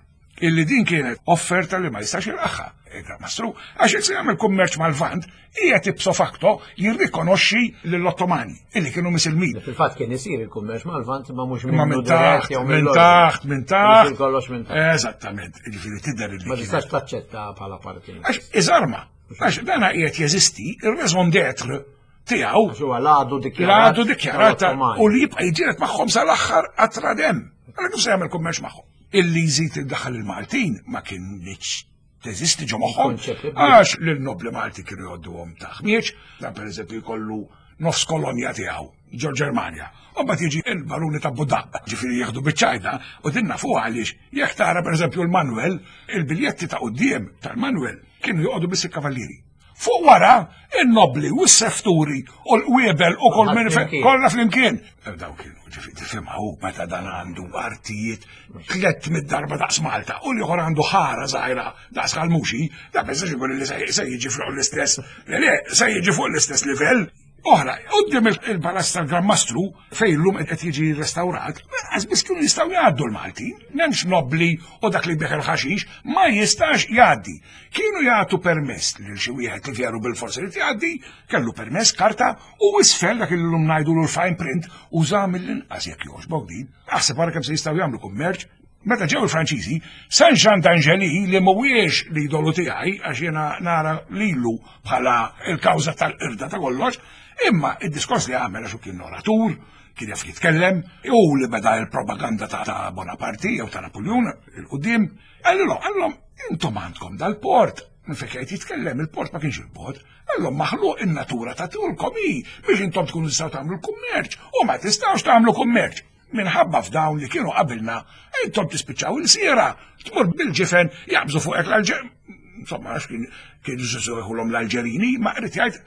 illi din kienet offerta li ma jistax jilqagħha il-Gran Mastru, għax jekk se jagħmel kummerċ mal-Lvant, qiegħed ipso facto jirrikonoxxi lill-Ottomani illi kienu misilmin. Fil-fatt kien isir il-kummerċ mal-Lvant ma mhux minn taħt, minn taħt, minn taħt. Kollox minn taħt. Eżattament, jiġifieri tidher illi. Ma tistax taċċetta bħala parti. Għax iżarma, għax dana qiegħed jeżisti ir-raison d'être tiegħu. Għax huwa l-għadu dikjarat. L-għadu dikjarat u li jibqa' jiġġieled magħhom sal-aħħar qatra demm. Għalhekk kif se jagħmel kummerċ magħhom? Illi jżid iddaħħal il-Maltin ma kienx. teżisti ġo moħħhom. Għax lil nobli Malti kienu jgħodduhom ta' ħmieġ, dan pereżempju jkollu nofs kolonja tiegħu ġo Ġermanja. U mbagħad jiġi il-baruni ta' Budaq, ġifieri jieħdu biċ-ċajta u din nafuha għaliex jekk tara pereżempju l-Manuel, il-biljetti ta' quddiem tal-Manuel kienu joqogħdu biss il-kavallieri. Fuq wara, in-nobli u s-sefturi u l-qwiebel u kull minn kollha flimkien. Eh, daw kienu ġifi tifhimha hu meta dan għandu artijiet tlett mid-darba daqs Malta u l-ieħor għandu ħara żgħira daqs Kalmuxi, da biżax ikun li se jiġi fuq l-istess, le, se jiġi fuq l-istess livell. Oħra, qudiem il-palazz tal-Gran Mastru fejn illum qed jiġi restawrat, lanqas biss kienu jistgħu jgħaddu l-Maltin, m'hemmx nobbli u dak li jbigħ il-ħaxix ma jistax jgħaddi. Kienu jagħtu permess lil xi wieħed li veru bil-forsi li jgħaddi, kellu permess karta u isfel dak li llum ngħidulu l-fine print uża mill-inqas jekk jogħġbok din. Aħseb ara kemm se jistgħu jagħmlu kummerċ Meta ġew il-Franċiżi, San Jean d'Angeli li mhuwiex l-idolu tiegħi għax jiena nara lilu bħala il-kawża tal-qirda ta' kollox, imma id-diskors li għamel għax kien oratur, kien jaf jitkellem, u li beda il-propaganda ta' Bonaparte jew ta' Napoleon il-qudiem, qalilhom, qalilhom intom għandkom dal-port, minn fejn qed jitkellem il-port ma kienx il-bogħod, qalilhom maħluq in-natura ta' tulkom hi biex intom tkunu tistgħu tagħmlu l-kummerċ u ma tistgħux tagħmlu kummerċ. Minħabba f'dawn li kienu qabilna, intom tispiċċaw il-siera, tmur bil-ġifen jaqbżu fuqek l-Alġer. Insomma, għax kien kienu jħulhom l-Alġerini, ma qrid jgħid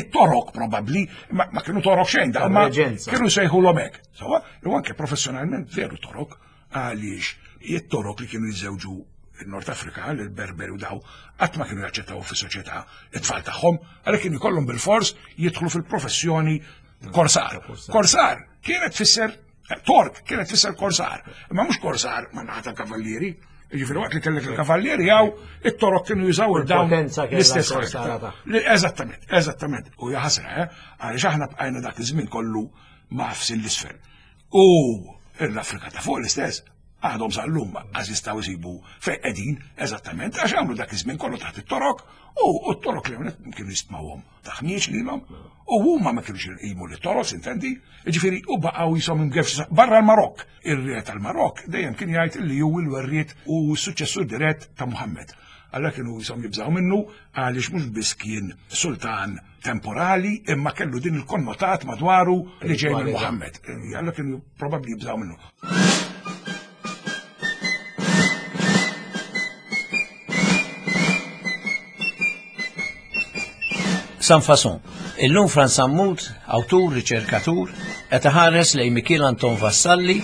it-torok probabbli, ma kienu torok xejn da, ma kienu sejħulhom hekk. Sawa, u anke professjonalment veru torok, għaliex it-torok li kienu jiżżewġu il-Nord Afrika, l-Berberi u daw, qatt ma kienu jaċċettaw fis-soċjetà it-tfal tagħhom, għalhekk kienu jkollhom bil-fors jidħlu fil-professjoni Korsar. Korsar kienet tfisser Tork kienet tfisser korsar, imma mhux korsar ma naħa tal-kavallieri. Ġifieri waqt li kellek il-kavallieri jew it-torok kienu jużaw il-dawn l-istess Eżattament, eżattament. U jaħasra, eh? għaliex aħna bqajna dak iż-żmien kollu mafsin l-isfel. U l-Afrika ta' fuq l-istess, għadhom sal-lum għaż jistgħu jsibu fejn qegħdin eżattament għax għamlu dak iż-żmien kollu taħt it-torok u t-torok li kienu jistmawhom taħniex lilhom u huma ma kienux jqimu li toros intendi, ġifieri u baqgħu jisom imgefx barra l-Marokk. Ir-re tal-Marokk dejjem kien jgħid li hu l-werriet u s-suċċessur dirett ta' Muhammed. Alla kienu jisom jibżgħu minnu għaliex mhux biss kien sultan temporali imma kellu din il-konnotat madwaru li ġej minn Muhammed. Alla kienu probabbli jibżgħu minnu. San Fason. Illum Frans Sammut, awtur, riċerkatur, qed iħares lejn Mikiel Anton Vassalli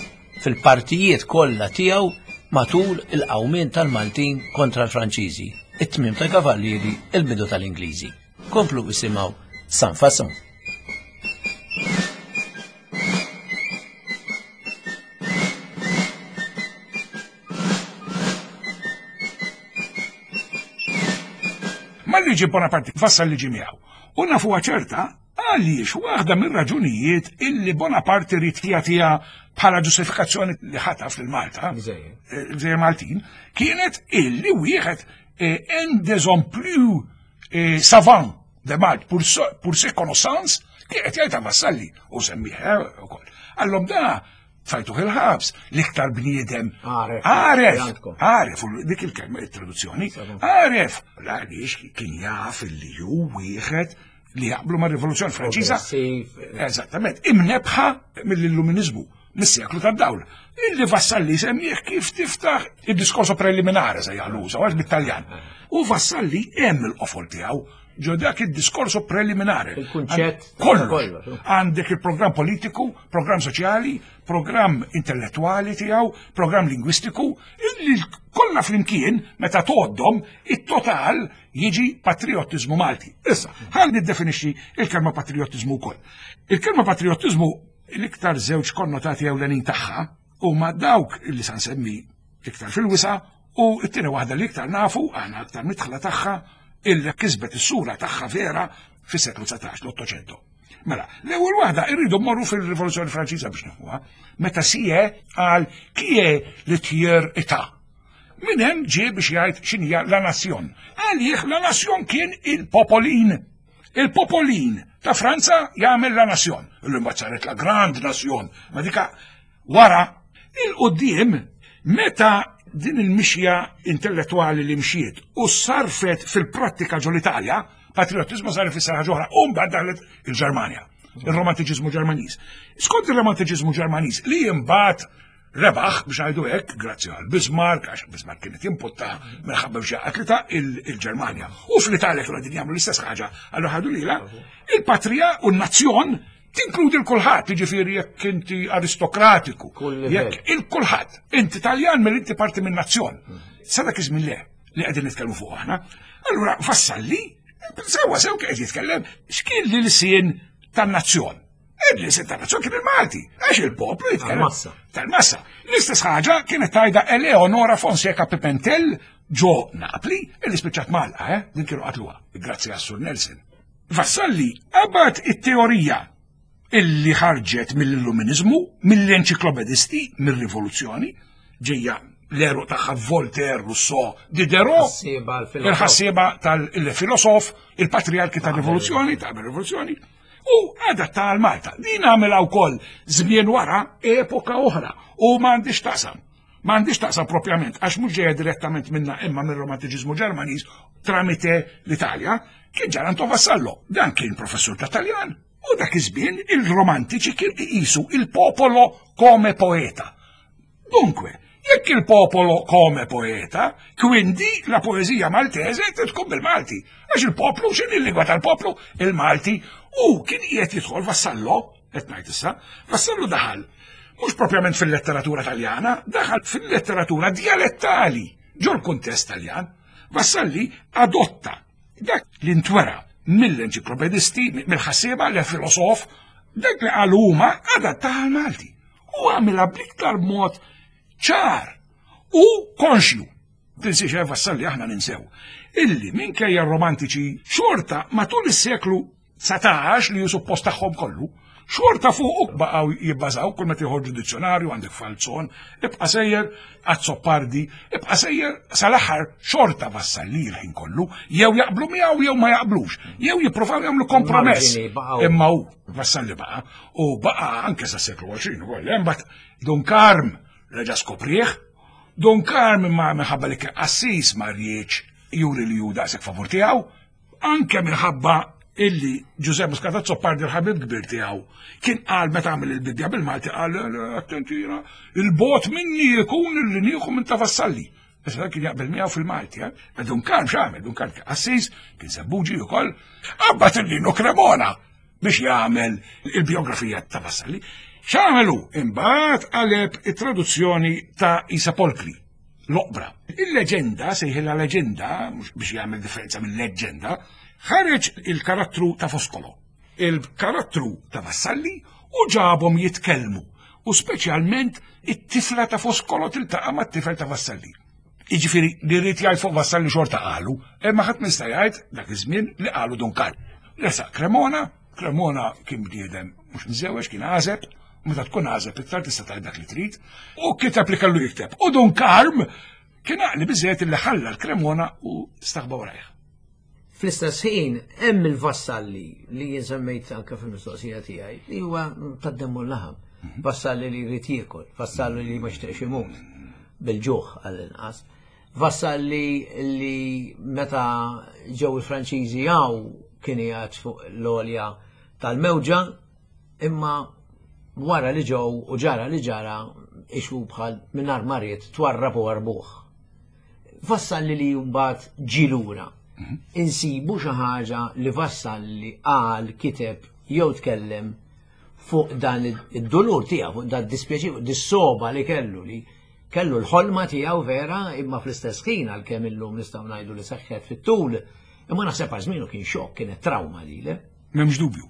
fil-partijiet kollha tiegħu matul il-qawmien tal-Maltin kontra l-Franċiżi, it-tmiem tal-Kavallieri, il-bidu tal-Ingliżi. Komplu isimgħu San Fason. Malli ġie Bonaparte fassal liġi miegħu. U nafuha ċerta għaliex waħda mir-raġunijiet illi Bonaparte ried jagħtiha bħala ġustifikazzjoni li ħataf lil Malta, il-Gżejjer Maltin, kienet illi wieħed eh, un des hommes plus eh, savants de Malte pour, pour ses connaissances kienet jgħidha Vassalli u semmih eh, ukoll. Allom da tfajtuh il-ħabs, l-iktar bniedem. Għaref, għaref, dik il-kelma il-traduzzjoni, għaref, għaliex kien jaf li ju wieħed li jaqblu ma' rivoluzzjoni Franċiża. Eżattament, imnebħa mill-illuminizmu, mis-seklu tad-dawl. Illi Vassalli semmih kif tiftaħ id-diskorso preliminari se jgħallu, għax bit-Taljan. U Vassalli hemm il-qofol tiegħu ġo dak id-diskorso preliminari. Il-kunċett. Kollox. Għandek il-programm politiku, programm soċjali, programm intellettuali tiegħu, programm lingwistiku, illi kollha flimkien meta tgħoddhom it-total jiġi patriottiżmu Malti. Issa, ħal niddefinixxi il-kelma patriottiżmu wkoll. Il-kelma patriottiżmu l-iktar żewġ konnotati ewlenin tagħha huma dawk li sa nsemmi iktar fil-wisa' U t-tieni waħda li iktar nafu, aħna aktar midħla tagħha, illi kisbet is-sura tagħha vera fis-seklu 19, l-Ottocento. Mela, l-ewwel waħda irridu mmorru fil-Rivoluzzjoni Franċiża biex nifhmuha, meta sie għal kie li tjer ita. Min hemm ġie biex jgħid x'inhija la nazzjon. Għalih la nazzjon kien il-popolin. Il-popolin ta' Franza jagħmel la nazzjon. Illum saret la grand nazzjon. Ma dika Wara, il-quddiem, meta Din il-mixja intellettwali li mxiet u sarfet fil-prattika ġol Italja, patriotizmu sar ifisser ħaġa oħra, u mbagħad daħlet il-Ġermanja, il-romantiċiżmu Ġermaniż. Skont il-romantiċiżmu Ġermaniż li imbagħad rebaħ biex ngħidu hekk, grazzi għal Bismarck, għax Bismarck kienet jimputta minħabba biex jaqgħet il-Ġermanja. U fl-Italja kienu qegħdin jagħmlu l-istess ħaġa, allura ħadu lilha, il-patrija u n-nazzjon tinkludi l-kulħadd, jiġifieri jekk inti aristokratiku, jekk il-kulħadd, inti Taljan mill inti parti minn nazzjon. Sa dak iż-żmien le li qegħdin nitkellmu fuq aħna. Allura Vassalli, sewwa sew qed jitkellem x'kien l-ilsien tan-nazzjon. Il-ilsien tan-nazzjon kien il-Malti, għax il-poplu jitkellem. Tal-massa. Tal-massa. L-istess ħaġa kienet tajda Eleonora Fonseca Pimentel ġo Napli, illi spiċċat Malqa, eh? Din kienu qatluha, grazzi għas-Sur Nelson. Vassalli qabad it-teorija illi ħarġet mill-Illuminizmu, mill-enċiklopedisti, mir-rivoluzzjoni, ġejja l-eru tagħha Voltaire, Rousseau, Diderot, il-ħassieba tal-filosof, il-patriarki tal-rivoluzzjoni, tal-rivoluzzjoni, u adatta għal Malta. Din għamilha wkoll żmien wara epoka oħra u m'għandix taqsam. Ma għandix taqsam propjament, għax mhux ġejja direttament minna imma mir-romantiċiżmu Ġermaniż tramite l-Italja, kien Gian Anton Vassallo. Dan kien professur ta' Taljan u dak iż-żmien il-romantiċi kien iqisu il-popolo come poeta. Dunque, jekk il-popolo come poeta, quindi la poesia maltese tkun bil-Malti. Għax il-poplu, x'inhi l-lingwa tal-poplu? Il-Malti. U kien qiegħed jidħol Vassallo, qed ngħid issa, Vassallo daħal mhux propjament fil-letteratura Taljana, daħal fil-letteratura dialettali ġol kuntest Taljan. Vassalli adotta dak li ntwera mill-enċiklopedisti, mill-ħassieba, l-filosof, dak li qalu huma adatta għal Malti. U għamilha bl-iktar mod ċar u konxju. Tinsiex eh, Vassalli aħna ninsew. Illi minkejja romantiċi xorta matul is-seklu 19 li hu suppost tagħhom kollu, xorta fuq baqgħu jibbażaw kull meta joħorġu dizzjonarju għandek Falzon, ibqa' sejjer Azzopardi, ibqa' sejjer sal-aħħar xorta Vassalli l-ħin kollu, jew jaqblu miegħu jew ma jaqblux, jew jippruvaw jagħmlu kompromess. Imma hu Vassalli baqa' u baqa' anke sa seklu 20 ukoll, imbagħad Dun Karm reġa' skoprih, Dun Karm imma minħabba li kien qassis ma rridx juri li hu daqshekk favur tiegħu, Anke minħabba illi Ġużè Muscat Azzopardi l-ħabib kbir tiegħu kien qal meta għamel il-Bibbja bil-Malti qal attenti il-bot minni jkun illi nieħu minn ta' Vassalli. Issa kien jaqbel miegħu fil-Malti, eh? Ma Dun Karm x'għamel, Dun Karm kien qassis, kien sebbuġi wkoll, qabad il-Lino Cremona biex jagħmel il-biografija ta' Vassalli. X'għamel hu? Imbagħad qaleb it-traduzzjoni ta' Isa Polkri l-oqbra. Il-leġenda, sejħilha leġenda, mhux biex jagħmel differenza minn leġenda, ħareġ il-karattru ta' Foscolo, il-karattru ta' Vassalli u ġabhom jitkellmu u speċjalment it-tifla ta' Foscolo tiltaqa' mat-tifel ta' Vassalli. Jiġifieri li rrid jgħid fuq Vassalli xorta qalu, imma ħadd ma jista' jgħid dak iż-żmien li qalu Dun Karl. Resaq Cremona, Cremona kien bniedem mhux miżewweġ, kien għażeb, meta tkun għażeb iktar tista' tgħid dak li trid, u kiteb li kellu jikteb. U Dun Karm kien għaqli biżejjed li ħalla l-Cremona u staħba warajh. Fl-istess ħin hemm il-Vassalli li jien semmejt anke fil-mistoqsija tiegħi li huwa tad-demm u l-laħam. Mhm. Vassalli li jrid jiekol, vassalli li ma jixtieqx imut bil-ġuħ għall-inqas. Vassalli li meta ġew il-Franċiżi hawn kien qiegħed fuq l-għolja tal-mewġa, imma wara li ġew u ġara li ġara ixu bħal mingħajr ma ried twarrab u warbuh. Vassalli li mbagħad ġie lura. Mhm. Insibu xi ħaġa li Vassalli qal, kiteb jew tkellem fuq dan id-dulur tiegħu, fuq dan id-dispjaċir, fuq dis-soba li kellu li kellu l-ħolma tiegħu vera imma fl-istess ħin għalkemm illum nistgħu ngħidu li seħħet fit-tul, imma naħseb għal żmienu kien xokk, kienet trawma lile. M'hemmx dubju.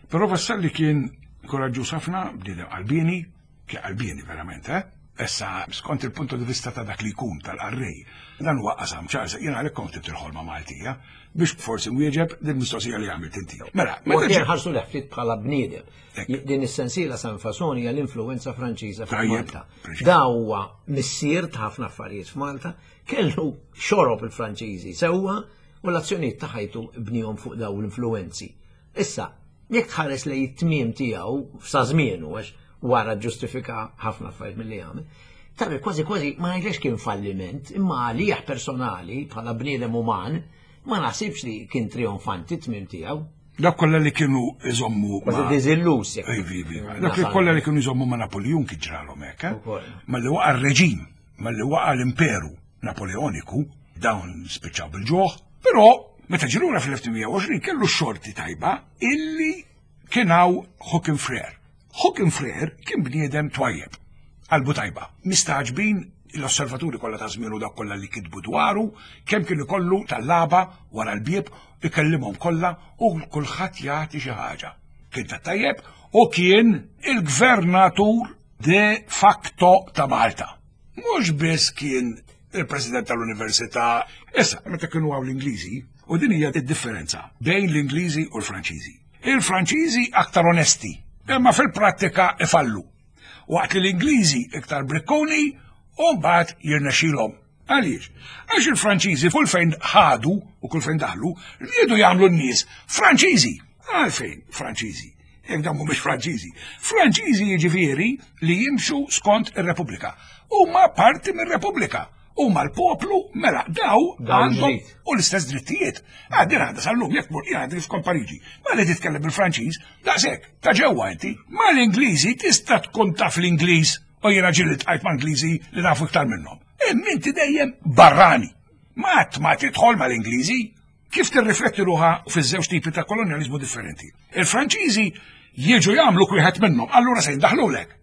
Però Vassalli kien koraġġuż ħafna, bniedem qalbieni, kien qalbieni verament, eh? Issa, skont il-punto di vista ta' dak li jkun tal-qarrej, dan huwa qasam ċar, jiena għalhekk kont ktibt il-ħolma Maltija, biex forsi nwieġeb din mistoqsija li għamilt inti. Mela, meta ġie ħarsu leħ ftit bħala bniedem. Din is-sensiela San Fasoni hija l-influenza Franċiża f'Malta. Da huwa missier ta' ħafna affarijiet f'Malta, kellu xorob il-Franċiżi sewwa u l-azzjonijiet ta' ħajtu bnihom fuq dawn l-influenzi. Issa, jekk tħares lejn it-tmiem tiegħu sa żmienu għax wara ġustifika ħafna affarijiet milli għamel, Tara kważi kważi ma ngħidlekx kien falliment, imma għalih personali bħala bniedem uman ma naħsibx li kien trionfanti t-tmiem tiegħu. Dak kollha li kienu iżommu. Kważi diżilluż. Ivi, ivi. Dak li kollha li kienu iżommu ma' Napoleon kien ġralhom hekk. Eh? Malli waqa' r-reġim, malli waqa' l-imperu Napoleoniku, dawn spiċċaw bil-ġuħ, però meta ġirura fl-1820 kellu xorti tajba illi kien hawn Hawking Frere. Hawking Frere kien bniedem twajjeb, qalbu tajba. Mistagħġbin l-osservaturi kollha ta' żmienu dak kollha li kitbu dwaru, kemm kien ikollu tallaba wara l-bieb, ikellimhom kollha u kulħadd jagħti xi ħaġa. Kien ta' tajjeb u kien il-gvernatur de facto ta' Malta. Mhux biss kien il-president tal-università, issa meta kienu hawn l-Ingliżi, u din hija d-differenza bejn l-Ingliżi u l-Franċiżi. Il-Franċiżi aktar onesti, imma fil-prattika ifallu. Waqt li l-Ingliżi iktar brikkuni u mbagħad jirnexxilhom. Għaliex? Għax il-Franċiżi kull fejn ħadu u kull fejn daħlu, riedu jagħmlu n-nies Franċiżi. Għalfejn Franċiżi? Jekk dawn mhumiex Franċiżi. Franċiżi jiġifieri li jimxu skont ir-Repubblika. Huma parti mir-Repubblika. Huma l-poplu mela daw għandhom u l-istess drittijiet. Għaddi għadha sal-lum jekk mur jgħaddi f'kont Pariġi. Ma li titkellem bil-Franċiż, daqshekk, ta' ġewwa inti. Ma l-Ingliżi tista' tkun taf l-Ingliż u jiena ġieli tqajt ma' Ingliżi li nafu iktar minnhom. Imma inti dejjem barrani. Ma ma tidħol mal-Ingliżi. Kif tirrifletti ruħha fiż-żewġ tipi ta' kolonjaliżmu differenti. Il-Franċiżi jiġu jagħmlu wieħed minnhom, allura se jindaħlulek.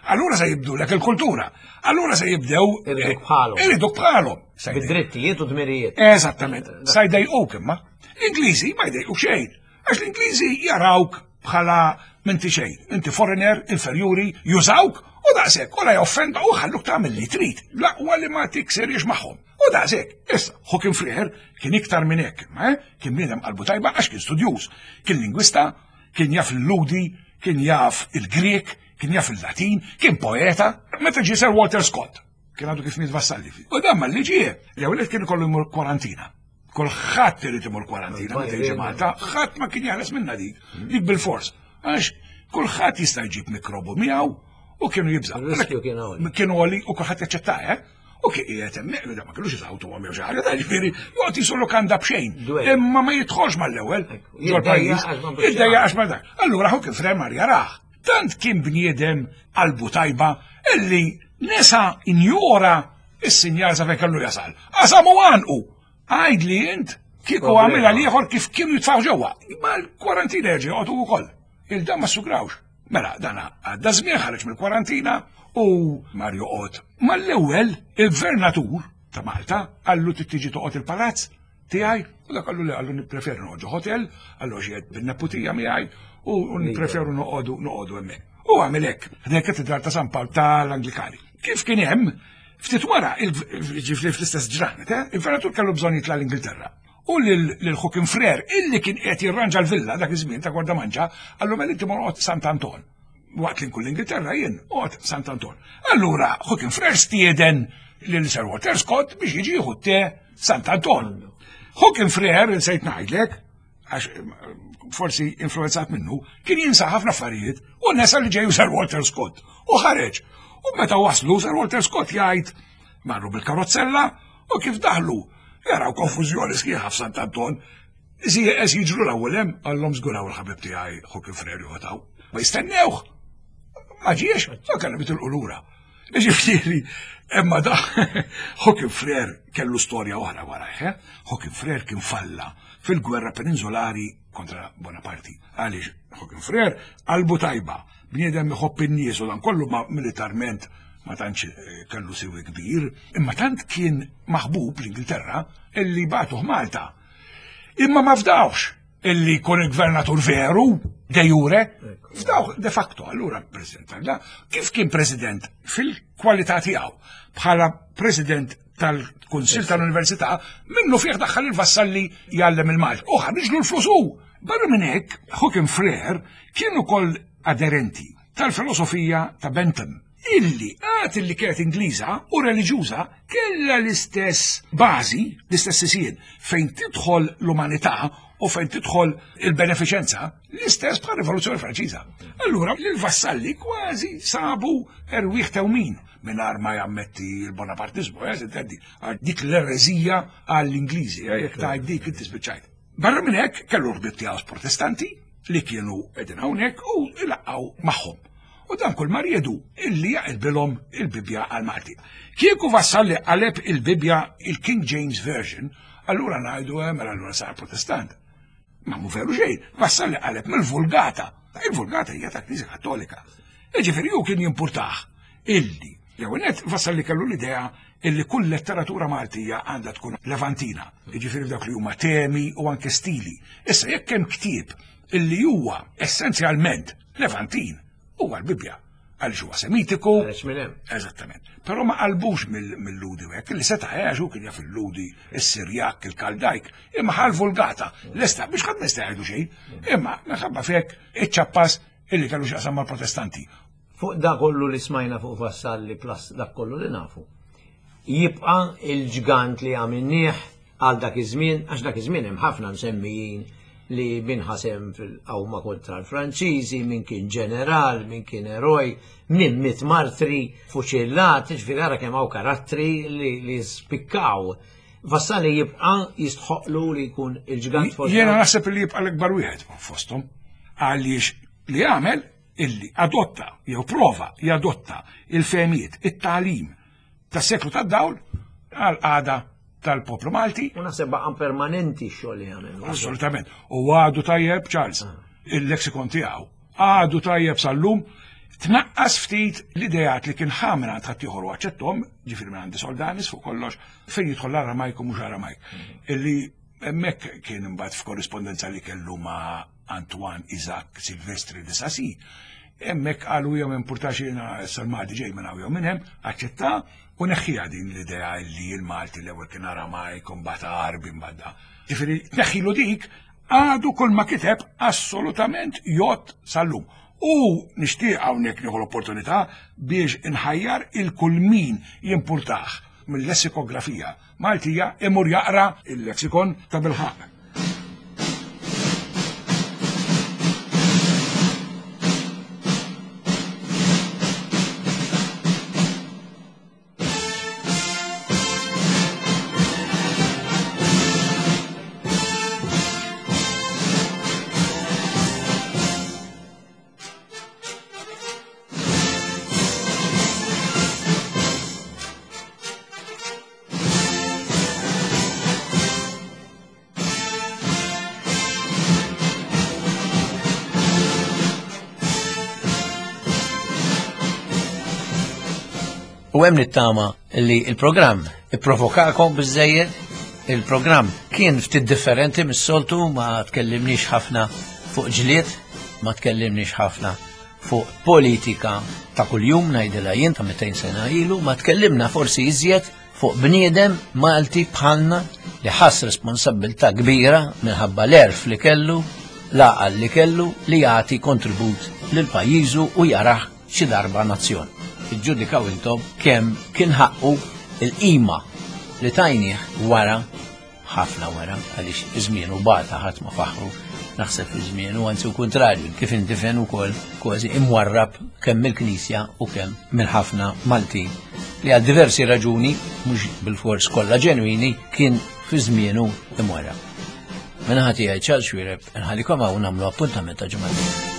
Allura se jibdulek il-kultura. Allura se jibdew. Iriduk bħalhom. Iriduk bħalhom. Bid-drittijiet u dmirijiet. Eżattament. Sa jdejquk imma. L-Ingliżi ma jdejqu xejn. Għax l-Ingliżi jarawk bħala minti xejn. Inti foreigner, inferjuri, jużawk u daqshekk u la joffenda u ħalluk tagħmel li trid. L-aqwa li ma tiksirix magħhom. U daqshekk. Issa, Hawking Frere kien iktar minn hekk, ma eh? kien bniedem qalbu tajba għax kien studjuż, kien lingwista, kien jaf l-Ludi, kien jaf il-Grek, kien jaf il-Latin, kien poeta, meta ġie Sir Walter Scott, kien għadu kif miet Vassalli. U dan malli ġie, l-ewwel kien ikollu jmur kwarantina. Kulħadd irid imur kwarantina meta jiġi Malta, ħadd ma kien jeħles minna dik, dik bil-fors. Għax kulħadd jista' jġib mikrobu miegħu u kienu jibżgħu. Kienu għoli u kulħadd jaċċetta, eh? U kien qiegħed hemmhekk, da ma kellux jisawtu għam jew xi ħaġa, ġifieri joqgħod jisu lukanda b'xejn. Imma ma jidħolx mal-ewwel ġol-pajjiż. Iddejja għax ma dak. Allura hu kif remar jarah. Tant kien bniedem qalbu tajba illi nesa injora is-sinjal sa fejn kellu jasal. Qasam u għanqu. Għajd li int kieku għamilha l-ieħor kif kienu jitfaw ġewwa. Ma l-kwarantina jerġa' joqgħodu wkoll. Il-dan ma sugrawx. Mela, dana għadda żmien ħareġ mill-kwarantina u mar joqgħod. Mal-ewwel il-gvernatur ta' Malta qallu trid tiġi toqgħod il-palazz tiegħi u dak qallu li qallu nippreferu noqogħdu hotel, qallu għax bin-neputija miegħi u nippreferu noqogħdu noqogħdu hemmhekk. U għamel hekk, ħdejn katedral ta' San Pawl tal-Anglikani. Kif kien hemm, ftit wara, ġifieri fl-istess ġranet, eh, il-gvernatur kellu bżonn jitla' l-Ingilterra. U lil Hawking Frere, illi kien qed jirranġa l-villa dak iż-żmien ta' Gwardamanġa, qallu mela inti mor oqgħod Sant Anton. Waqt li nkun l-Ingilterra jien oqgħod Sant Anton. Allura Hawking Frere stieden lil Sir Walter Scott biex jiġi jieħu te Sant Anton. Hawking Frere, insejt ngħidlek, għax forsi influenzat minnu, kien jinsa ħafna affarijiet u nesa li ġeju Sir Walter Scott. U ħareġ. U meta waslu Sir Walter Scott jgħid marru bil-karozzella u kif daħlu jaraw konfużjoni sħiħa f'Sant Anton. Iżi jiġru l-ewwel hemm għallhom żguraw il-ħabib tiegħi Hawking Frere joqgħod Ma jistennewh. Ma ġiex, ma kellhom jitilqu lura. Ġifieri, imma da Hawking Frere kellu storja oħra warajh, eh? Hawking Frere kien falla fil-gwerra peninsulari kontra Bonaparte. Għaliex Hawking Frere qalbu tajba, bniedem iħobb in-nies u dan kollu ma militarment ma tantx eh, kellu siwi kbir, imma tant kien maħbub l-Ingilterra illi bagħtuh Malta. Imma ma fdawx illi jkun il-gvernatur veru, de jure, fdawh de facto, allura president tal kif kien president fil-kwalità tiegħu bħala president tal-Kunsil tal-Università, minnu fih daħħal il-Vassalli jgħallem il-Malti. U ħarġlu l-flus hu. Barra minn hekk, Hawking Frere kien ukoll aderenti tal-filosofija ta' Bentham, illi għad illi kienet Ingliża u reliġjuża kellha l-istess bażi, l-istess sisien fejn tidħol l-umanità u fejn tidħol il-benefiċenza, l-istess bħal rivoluzzjoni Franċiża. Allura l-Vassalli kważi sabu erwieħ tewmin. mingħajr ma jammetti l-Bonapartiżmu, eh, tintendi, dik l-ereżija għall-Ingliżi, eh, jekk tgħid dik inti spiċċajt. Barra minn hekk kellu ħbieb tiegħu protestanti li kienu qegħdin hawnhekk u ilaqgħu magħhom. U dan kull ma riedu illi jaqilbilhom il-Bibbja għal Malti. Kieku Vassalli qaleb il-Bibbja il-King James Version, allura ngħidu eh, mela allura sar protestant. Ma mu veru xejn, Vassalli qaleb mill-Vulgata. Il-Vulgata hija ta' Knisja Kattolika. Jiġifieri hu kien jimpurtah illi jew net Vassalli kellu l-idea illi kull letteratura Maltija għandha tkun Levantina, jiġifieri f'dawk li huma temi u anke stili. Issa jekk hemm ktieb illi huwa essenzjalment Levantin, huwa l-Bibbja għaliex huwa Semitiku. Għaliex minn hemm. Eżattament. Però ma qalbux mill-Ludi u hekk, li seta' għax hu kien jaf il-Ludi, is-Sirjak, il-Kaldajk, imma ħal vulgata, lesta biex ħadd ma jista' jgħidu xejn, imma minħabba fek iċ-ċappas illi kellu x'jaqsam mal-Protestanti. Fuq da kollu li smajna fuq Vassalli plus dak kollu li nafu. Jibqa' il-ġgant li għamilnieh għal dak iż-żmien, għax dak iż-żmien hemm ħafna msemmijin li min ħasem fil-qawma kontra l-Franċiżi, min kien ġeneral, min kien eroj, min miet martri, fuċillat, ġifieri ara kemm hawn karattri li, li spikkaw. Vassalli jibqa' jistħoqlu li jkun il-ġgant fost. Jiena naħseb li jibqa' l-ikbar wieħed fosthom għaliex li għamel illi adotta jew prova jadotta il-fehmiet, it-tagħlim tas-seklu tad-dawl għal qagħda tal-poplu Malti. U naħseb baqa' permanenti x-xogħol li għamel. Assolutament. U għadu tajjeb Charles, ah. il-lexikon tiegħu għadu tajjeb sal-lum tnaqqas ftit l-idejat li kien ħamra għand ħaddieħor u aċċettom, ġifieri minn għandi Soldanis fuq kollox, fejn jidħol l-Aramajk u mhux Aramajk. Mm. Illi hemmhekk kien imbagħad f'korrispondenza li kellu ma' Antoine Isaac Silvestre de Sassy, hemmhekk qalu jew importax jiena issa l-Malti ġej minn hawn jew minn hemm, aċċetta u neħħiha din l-idea li l-Malti l-ewwel kien Aramajk u mbagħad Għarbi mbagħad. Ġifieri tneħħilu dik għadu kull ma kiteb assolutament jgħodd sal-lum. U nixtieq hawnhekk nieħu l-opportunità biex inħajjar il kull min jimpurtah mill-lessikografija Maltija imur jaqra il-lexikon ta' bilħaqq. U hemm nittama li il-programm ipprovokakom biżejjed, il-programm kien ftit differenti mis-soltu ma tkellimniex ħafna fuq ġlied, ma tkellimniex ħafna fuq politika ta' kuljum ngħidilha jien ta' 200 sena ilu, ma tkellimna forsi iżjed fuq bniedem Malti bħalna li ħass responsabbiltà kbira minħabba l-erf li kellu, l-għaqal li kellu li jagħti kontribut lil pajjiżu u jarah xi darba nazzjon. Iġġudikaw intom kemm kien ħaqqu il-qima li tajnieh wara ħafna wara għaliex żmienu bata ħadd ma faħru naħseb fi żmienu anzi u kuntrarju kif indifen ukoll kważi imwarrab kemm mill-Knisja u kemm minn ħafna Maltin li għal diversi raġuni mhux bil-fors kollha ġenwini kien fi żmienu imwarrab. Minħati għaj ċal xwireb, nħallikom hawn nagħmlu appuntament ta' ġimgħa.